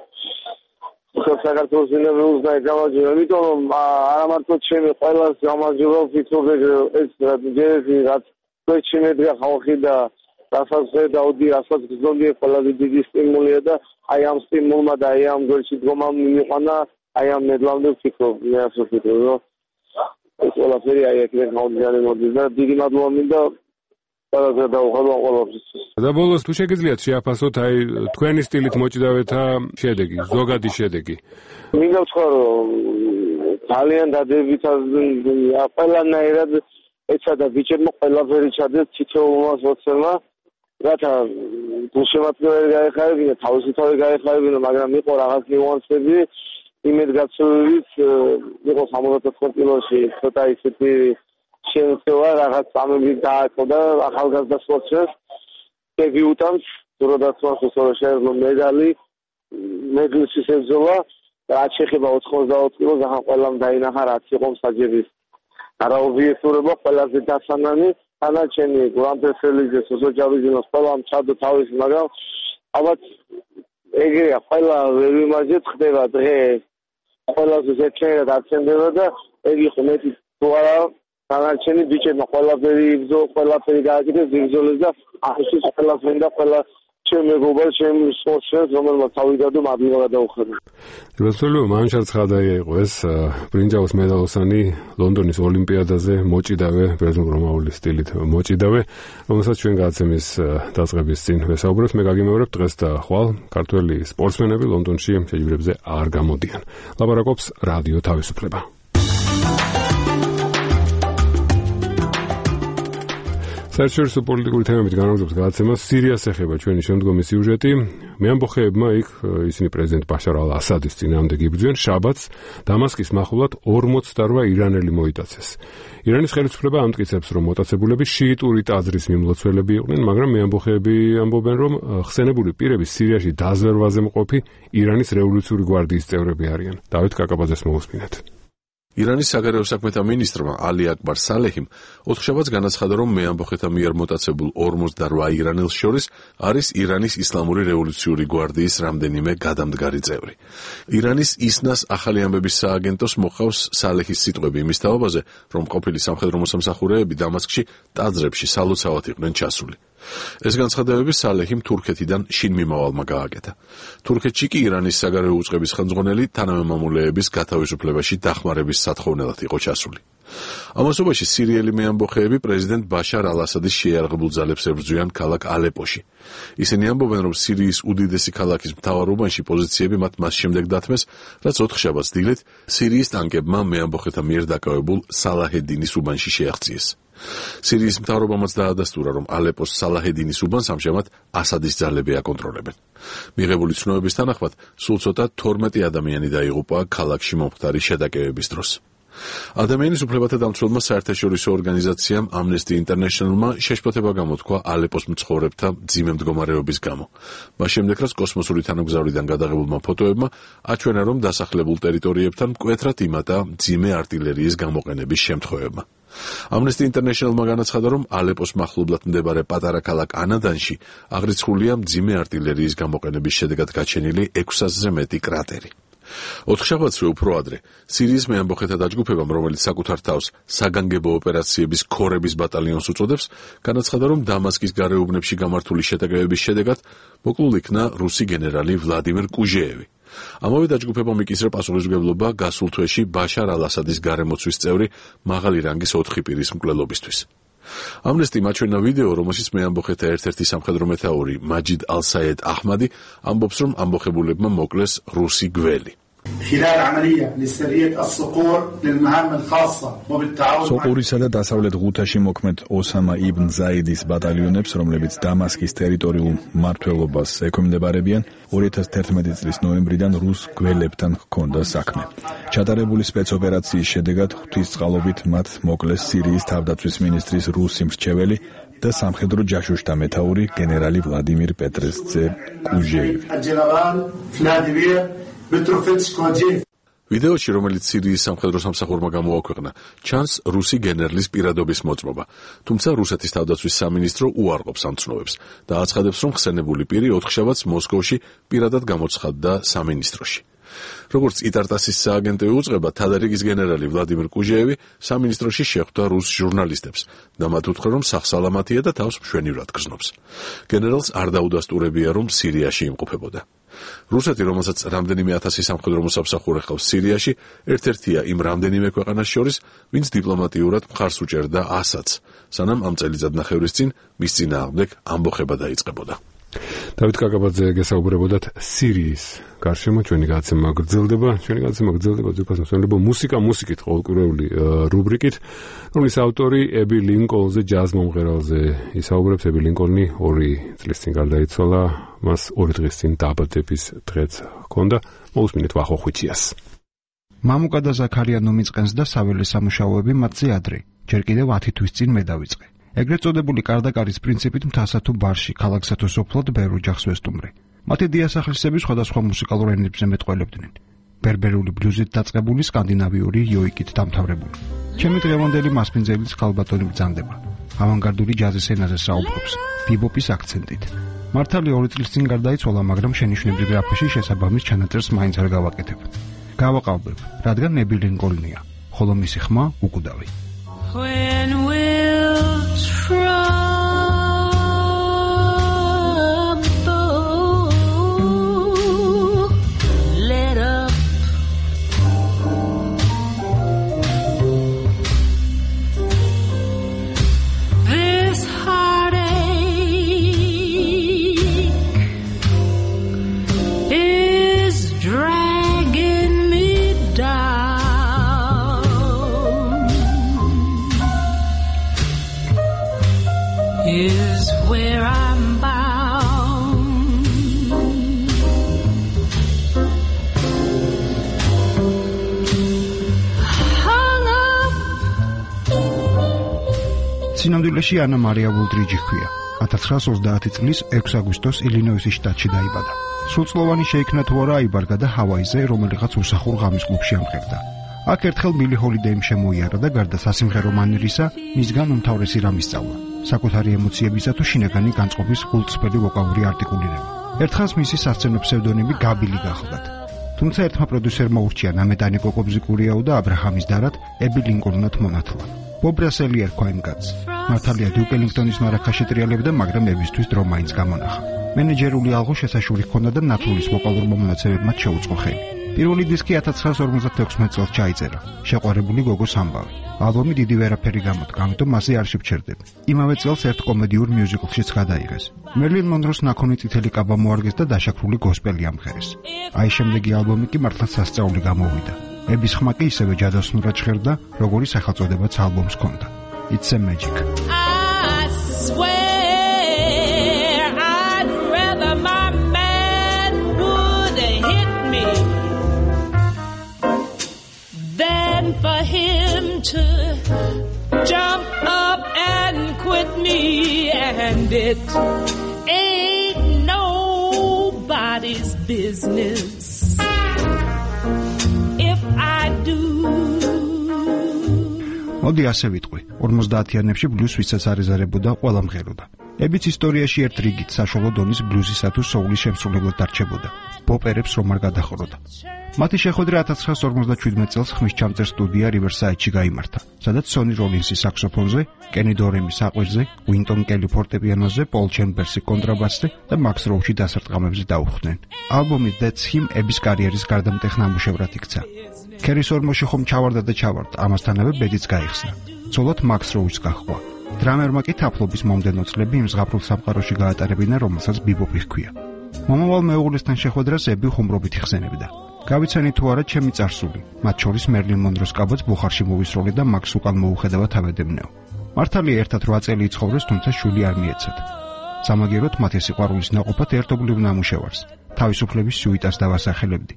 საქართველოს ინებულს გამარჯვება, იმიტომ რომ არა მარტო ჩემი ყველას გამარჯვება ვფიქრობ, ეს რაც შეჩემედგა ხალხი და რასაც ხედავდი, რასაც გზნობდი, ყველაზე დიდი სტიმულია და აი ამ სტიმულმა და აი ამ გოლში დგომამ მივიყვანა, აი ამ მედლამდე ვფიქრობ, მე ასე ვფიქრობ, რომ ეს ყველაფერი აი აქედან გამომდინარე მოდის და დიდი მადლობა მინდა ყველაფერს დაუხალვა ყველაფერს. და ბოლოს თუ შეგიძლიათ შეაფასოთ აი თქვენი სტილით მოჭიდავეთა შედეგი, ზოგადი შედეგი. მინდა ვთქვა რომ ძალიან დადებითად ყველანაირად ეცადა ბიჭებმა ყველაფერი ჩადეს თითოეულმა სპორტსმენმა, რათა გულშემატკივარი გაეხარებინა, თავისი თავი გაეხარებინა, მაგრამ იყო რაღაც ნიუანსები, იმედგაცრუებით იყო 74 კილოში ცოტა ისეთი შეეცვა რაღაც წამები დააწყდა ახალგაზრდა სპორტსმენს. დებიუტანტს, როდესაც შეეძლო მედლის შეეძლო, რაც შეეხება 84 კილოს, ახლა ყველამ დაინახა რაც იყო მსაჯების არაობიექტურობა, ყველაზე დასანანი, თანაჩენი გრანდესელიზეს ოზოჯავიძინოს ყველამ ჩადო თავისი, მაგრამ ალბათ ეგრეა, ყველა ვერ ვიმაჯეთ, ხდება დღე ყველაზე ზეცერად აცენდება და ეგ იყო მეტი თუ არა თანაჩენი ბიჭებმა ყველაფერი გააკეთეს, იბრძოლეს და ახლა ყველაფერი და ყველა ჩემ მეგობარ, ჩემ სპორტსმენს, რომელმაც თავი დადო, მადლობა გადაუხადა. რასწორია, მანშალ ცხადაია იყო ეს ბრინჯაოს მედალოსანი ლონდონის ოლიმპიადაზე მოჭიდავე, ბერძნულ-რომაული სტილით მოჭიდავე, რომელსაც ჩვენ გადაცემის დაწყების წინ ვესაუბრებთ. მე გაგიმეორებ დღეს და ხვალ ქართველი სპორტსმენები ლონდონში შეჯიბრებზე არ გამოდიან. ლაპარაკობს რადიო თავისუფლება. საერთაშორისო პოლიტიკური თემებით განაგრძობს გადაცემას სირიას ეხება ჩვენი შემდგომი სიუჟეტი. მეამბოხეებმა იქ ისინი პრეზიდენტ ბაშარ ალ-ასადის წინააღმდეგ იბრძვიან. შაბათს დამასკის მახლობლად 48 ირანელი მოიტაცეს. ირანის ხელისუფლება ამტკიცებს, რომ მოტაცებულები შიიტური ტაძრის მიმლოცველები იყვნენ, მაგრამ მეამბოხეები ამბობენ, რომ ხსენებული პირები სირიაში დაზვერვაზე მყოფი ირანის რევოლუციური გვარდიის წევრები არიან. დავით კაკაბაძეს მოусმინეთ. ირანის საგარეო საქმეთა მინისტრმა ალი აკბარ სალეჰიმ ოთხშაბათს განაცხადა, რომ მეამბოხეთა მიერ მოტაცებულ 48 ირანელს შორის არის ირანის ისლამური რევოლუციური გვარდიის რამდენიმე გადამდგარი წევრი. ირანის ისნას ახალი ამბების სააგენტოს მოხავს სალეჰის სიტყვები იმის თაობაზე, რომ ყოფილი სამხედრო მოსამსახურეები დამასკში ტაძრებში სალოცავად იყვნენ ჩასული. ეს განცხადებები სალეჰიმ თურქეთიდან შინმიმავალმა გააკეთა. თურქეთში კი ირანის საგარეო უწყების ხელმძღვანელი თანამემამულეების გათავისუფლებაში დახმარების სათხოვნელად იყო ჩასული. ამასობაში სირიელი მეამბოხეები პრეზიდენტ ბაშარ ალ-ასადის შეიარაღებულ ძალებს ებრძვიან ქალაქ ალეპოში. ისინი ამბობენ, რომ სირიის უდიდესი ქალაქის მთავარ უბანში პოზიციები მათ მას შემდეგ დათმეს, რაც ოთხშაბათს დილით სირიის ტანკებმა მეამბოხეთა მიერ დაკავებულ სალაჰედინის უბანში შეაღწიეს. სირიის მთავრობამაც დაადასტურა, რომ ალეპოს სალაჰედინის უბანს ამჟამად ასადის ძალები აკონტროლებენ. მიღებული ცნობების თანახმად, სულ ცოტა 12 ადამიანი დაიღუპა ქალაქში მომხდარი შეტაკებების დროს. ადამიანის უფლებათა დამცველმა საერთაშორისო ორგანიზაციამ Amnesty International-მა შეშფოთება გამოთქვა ალეპოს მცხოვრებთა მძიმე მდგომარეობის გამო. მას შემდეგ, რაც კოსმოსური თანამგზავრიდან გადაღებულმა ფოტოებმა აჩვენა, რომ დასახლებულ ტერიტორიებთან მკვეთრად იმატა მძიმე არტილერიის გამოყენების შემთხვევებმა. Amnesty International-მა განაცხადა, რომ ალეპოს მახლობლად მდებარე პატარა ქალაქ ანადანში აღრიცხულია მძიმე არტილერიის გამოყენების შედეგად გაჩენილი 600-ზე მეტი კრატერი. ოთხშაბათსვე უფრო ადრე სირიის მეამბოხეთა დაჯგუფებამ, რომელიც საკუთარ თავს საგანგებო ოპერაციების ქორების ბატალიონს უწოდებს, განაცხადა, რომ დამასკის გარეუბნებში გამართული შეტაკებების შედეგად მოკლულ იქნა რუსი გენერალი ვლადიმერ კუჟეევი. ამავე დაჯგუფებამ იკისრა პასუხისმგებლობა გასულ თვეში ბაშარ ალ-ასადის გარემოცვის წევრი მაღალი რანგის 4 პირის მკვლელობისთვის. Amnesty-მა აჩვენა ვიდეო, რომელშიც მეამბოხეთა ერთ-ერთი სამხედრო მეთაური მაჯიდ ალ-საედ აჰმადი ამბობს, რომ ამბოხებულებმა მოკლეს რუსი გველი. სოყურისა და დასავლეთ ღუთაში მოქმედ ოსამა იბნ ზაიდის ბატალიონებს, რომლებიც დამასკის ტერიტორიულ მმართველობას ექვემდებარებიან, 2011 წლის ნოემბრიდან რუს გველებთან ჰქონდა საქმე. ჩატარებული სპეცოპერაციის შედეგად ღვთისწყალობით მათ მოკლეს სირიის თავდაცვის მინისტრის რუსი მრჩეველი და სამხედრო ჯაშუშთა მეთაური გენერალი ვლადიმირ პეტრეს ძე კუჟეევი. ვიდეოში, რომელიც სირიის სამხედრო სამსახურმა გამოაქვეყნა, ჩანს რუსი გენერლის პირადობის მოწმობა, თუმცა რუსეთის თავდაცვის სამინისტრო უარყოფს ამ ცნობებს და აცხადებს, რომ ხსენებული პირი ოთხშაბათს მოსკოვში პირადად გამოცხადდა სამინისტროში. როგორც იტარტასის სააგენტო უწყება, თადარიგის გენერალი ვლადიმირ კუჟეევი სამინისტროში შეხვდა რუს ჟურნალისტებს და მათ უთხრა, რომ სახსალამათია და თავს მშვენივრად გრძნობს. გენერალს არ დაუდასტურებია, რომ სირიაში იმყოფებოდა. რუსეთი, რომელსაც რამდენიმე ათასი სამხედრო მოსამსახურე ჰყავს სირიაში, ერთ-ერთია იმ რამდენიმე ქვეყანას შორის, ვინც დიპლომატიურად მხარს უჭერდა ასადს, სანამ ამ წელიწადნახევრის წინ მის წინააღმდეგ ამბოხება დაიწყებოდა. დავით კაკაბაძე გესაუბრებოდათ სირიის გარშემო. ჩვენი გადაცემა გრძელდება ძვირფას მოსვენებო მუსიკით ყოველკვირეული რუბრიკით, რომლის ავტორი ები ლინკოლნზე, ჯაზ მომღერალზე ისაუბრებს. ები ლინკოლნი 2 წლის წინ გარდაიცვალა, მას 2 დღის წინ დაბადების დღეც ჰქონდა. მოусმინეთ ვახოხვიჩიას. მამუკა და ზაქარია ნომიწყენს და საველე სამუშაოები მათზე ადრე, ჯერ კიდევ 10 თვის წინ მე დავიწყე. ეგრეთ წოდებული კარდაკარის პრინციპით მთასა თუ ბარში, ქალაქსა თუ სოფლად ბევრ ოჯახს ვესტუმრე. მათი დიასახლისები სხვადასხვა მუსიკალურ ენებზე მეტყველებდნენ. ბერბერული ბლუზით დაწყებული, სკანდინავიური იოიკით დამთავრებული. ჩემი დღევანდელი მასპინძელიც ხალბატონი ბრძანდება. ავანგარდული ჯაზის ენაზე საუბრობს, ბიბოპის აქცენტით. მართალი 2 წლის წინ გარდაიცვალა, მაგრამ შენიშვნებრივ გრაფაში შესაბამის ჩანაწერს მაინც არ გავაკეთებ. გავაყალბებ, rადგან ები ლინკოლნია, ხოლო მისი ხმა უკვდავი. When we'll trouble let up this heartache is dragging me down. Is where I'm bound. Hung up. სინამდვილეში ანა მარია ვულდრიჯი ჰქვია. 1930 წლის 6 აგვისტოს ილინოისის შტატში დაიბადა. სრულწლოვანი შეიქმნა თუ არა აიბარგა და ჰავაიზე, რომელიღაც უსახურ ღამის კლუბში ამღერდა. აქ ერთხელ მილი ჰოლიდეიმ შემოიარა და გარდა სასიმღერო მანერისა, მისგან უმთავრესი რამ ისწავლა. საკუთარი ემოციებისა თუ შინაგანი განწყობის გულწრფელი ვოკალური არტიკულირება. ერთხანს მისი სასცენო ფსევდონიმი გაბილი გახლდათ. თუმცა ერთმა პროდიუსერმა ურჩია ნამეტანი კოკობზიკურიაუ და აბრაჰამის დარად ები ლინკოლნად მონათლა. ბობ რასელი ერქვა იმ კაცს. მართალია დიუკ ელინგტონის მარახა შეტრიალებდა, მაგრამ ებისთვის დრო მაინც გამონახა. მენეჯერული ალღო შესაშური ჰქონდა და ნათლულის ვოკალურმა მონაცემებმა შეუწყო ხელი. პირველი დისკი 1956 წელს ჩაიწერა. შეყვარებული გოგოს ამბავი. ალბომი დიდი ვერაფერი გამოდგა, ამიტომ მასზე არ შევჩერდები. იმავე წელს ერთ კომედიურ მიუზიკლშიც გადაიღეს. მერლინ მონროს ნაქონი წითელი კაბა მოარგეს და დაშაქრული გოსპელი ამღერეს. აი შემდეგი ალბომი კი მართლაც სასწაული გამოვიდა. ების ხმა კი ისევე ჯადოსნურად ჟღერდა, როგორი სახელწოდებაც ალბომს ჰქონდა. It's a magic. I swear I'd rather my man would hit me than for him to jump up and quit me, and it ain't nobody's business if I do. მოდი ასე ვიტყვი, 50-იანებში ბლუზ ვისაც არეზარებოდა, ყველა მღეროდა. ებიც ისტორიაში ერთ რიგით საშუალო დონის ბლუზისა თუ სოულის შემსრულებლად დარჩებოდა. პოპერებს რომ არ გადახუროდა. მათი შეხვედრა 1957 წელს ხმის ჩამწერ სტუდია რივერსაიდში გაიმართა, სადაც სონი როლინსი საქსოფონზე, კენი დორემი საყვირზე, უინტონ კელი ფორტეპიანოზე, პოლ ჩემბერსი კონტრაბასზე და მაქს როუჩი დასარტყამებზე დაუხდნენ. ალბომი That's Him ების კარიერის გარდამტეხ ნამუშევრად იქცა. ქერის ორმოში ხომ ჩავარდა და ჩავარდა, ამასთანავე ბედიც გაიხსნა. ცოლად მაქს როუჩს გაჰყვა. დრამერმა კი თაფლობის მომდენო წლები იმ ზღაპრულ სამყაროში გაატარებინა, რომელსაც ბიბოპი ჰქვია. მომავალ მეუღლესთან შეხვედრას ები ხუმრობით იხსენებდა. გავიცანი თუ არა ჩემი წარსული, მათ შორის მერლინ მონროს კაბოც ბუხარში მოვისროლე და მაქს უკან მოუხედავად ავედებნეო. მართალია ერთად 8 წელი იცხოვრეს, თუმცა შვილი არ მიეცათ. სამაგიეროდ მათი სიყვარულის ნაყოფად ერთობლივ ნამუშევარს, თავისუფლების სუიტას დავასახელებდი.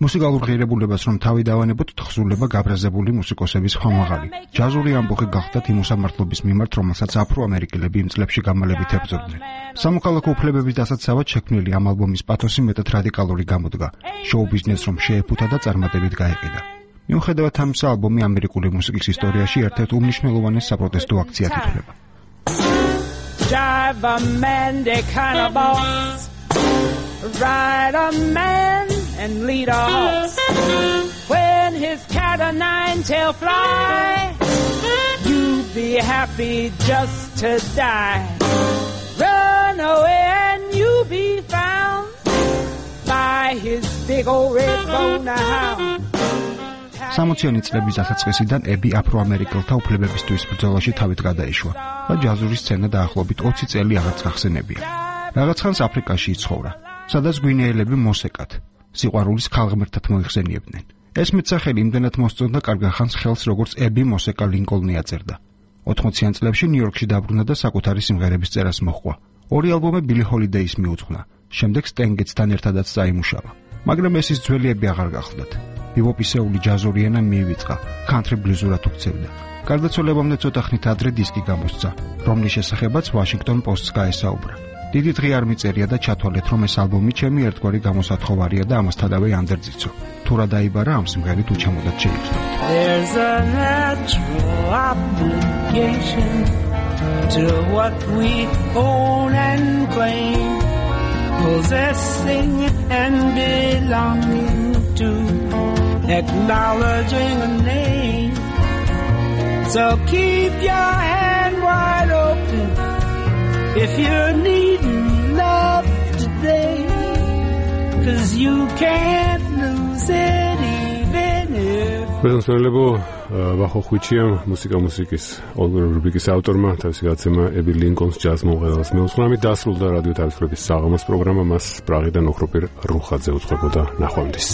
მუსიკალურ ღირებულებას რომ თავი დავანებოთ, თხზულება გაბრაზებული მუსიკოსების ხმამაღალი. ჯაზური ამბოხი გახდათ იმ უსამართლობის მიმართ, რომელსაც აფრო-ამერიკელები იმ წლებში გამალებით ებრძოდნენ. სამოქალაქო უფლებების დასაცავად შექმნილი ამ ალბომის პათოსი მეტად რადიკალური გამოდგა. შოუ-ბიზნესს რომ შეეფუთა და წარმატებით გაეყიდა. მიუხედავად ამისა, ალბომი ამერიკული მუსიკის ისტორიაში ერთ-ერთ უმნიშვნელოვანეს საპროტესტო აქციად ითვლება. Drive a man, they kind of boss. Ride a man and lead a horse. When his cat o' nine tail fly, you be happy just to die. Run away and you be found by big old red bone hound. 60-იანი წლების დასაწყისიდან ები აფრო-ამერიკელთა უფლებებისთვის ბრძოლაში თავით გადაეშვა და ჯაზური სცენა დაახლოებით 20 წელი აღარც გახსენებია. რაღაც ხანს აფრიკაში იცხოვრა, სადაც გვინეელები მოსეკად, სიყვარულის ქალღმერთად მოიხსენიებდნენ. ეს მეტსახელი იმდენად მოსწონდა კარგ ხანს ხელს, როგორც ები მოსეკა ლინკოლნი აწერდა. 80-იან წლებში ნიუ-იორკში დაბრუნდა და საკუთარი სიმღერების წერას მოჰყვა. ორი ალბომი ბილი ჰოლიდეის მიუძღვნა, შემდეგ სტენ გეტსთან ერთადაც დაიმუშავა. მაგრამ ეს ის ძვლიები აღარ გახლდათ. ბიბოპისეული ჯაზური ენა მიივიწყა, კანტრი ბლუზურად უქცევდა. გარდაცვალებამდე ცოტა ხნით ადრე დისკი გამოსცა, რომლის შესახებაც Washington Post-ს გაესაუბრა. დიდი დღე არ მიწერია და ჩათვალეთ, რომ ეს ალბომი ჩემი ერთგვარი გამოსათხოვარია და ამასთანავე ანდერძიცო. თუ რა დაიბარა ამ სიმღერით უჩამოდათ შეიცვლოთ. There's a natural obligation to what we own and claim, possessing and belonging to, acknowledging a name. So keep your hand wide open if you're needing love today, 'cause you can't lose it even if. Პრეზენტებო ვახო ხუჩია მუსიკის რუბრიკის ავტორმა თავისი გაცემა ები ლინკოლნის ჯაზ მომღერალს მეუძღვრამით დასრულდა რადიო თავისუფლების საღამოს პროგრამა. მას პრაღიდან ოქროპირ რუხაძე უძღვებოდა. ნახვამდის.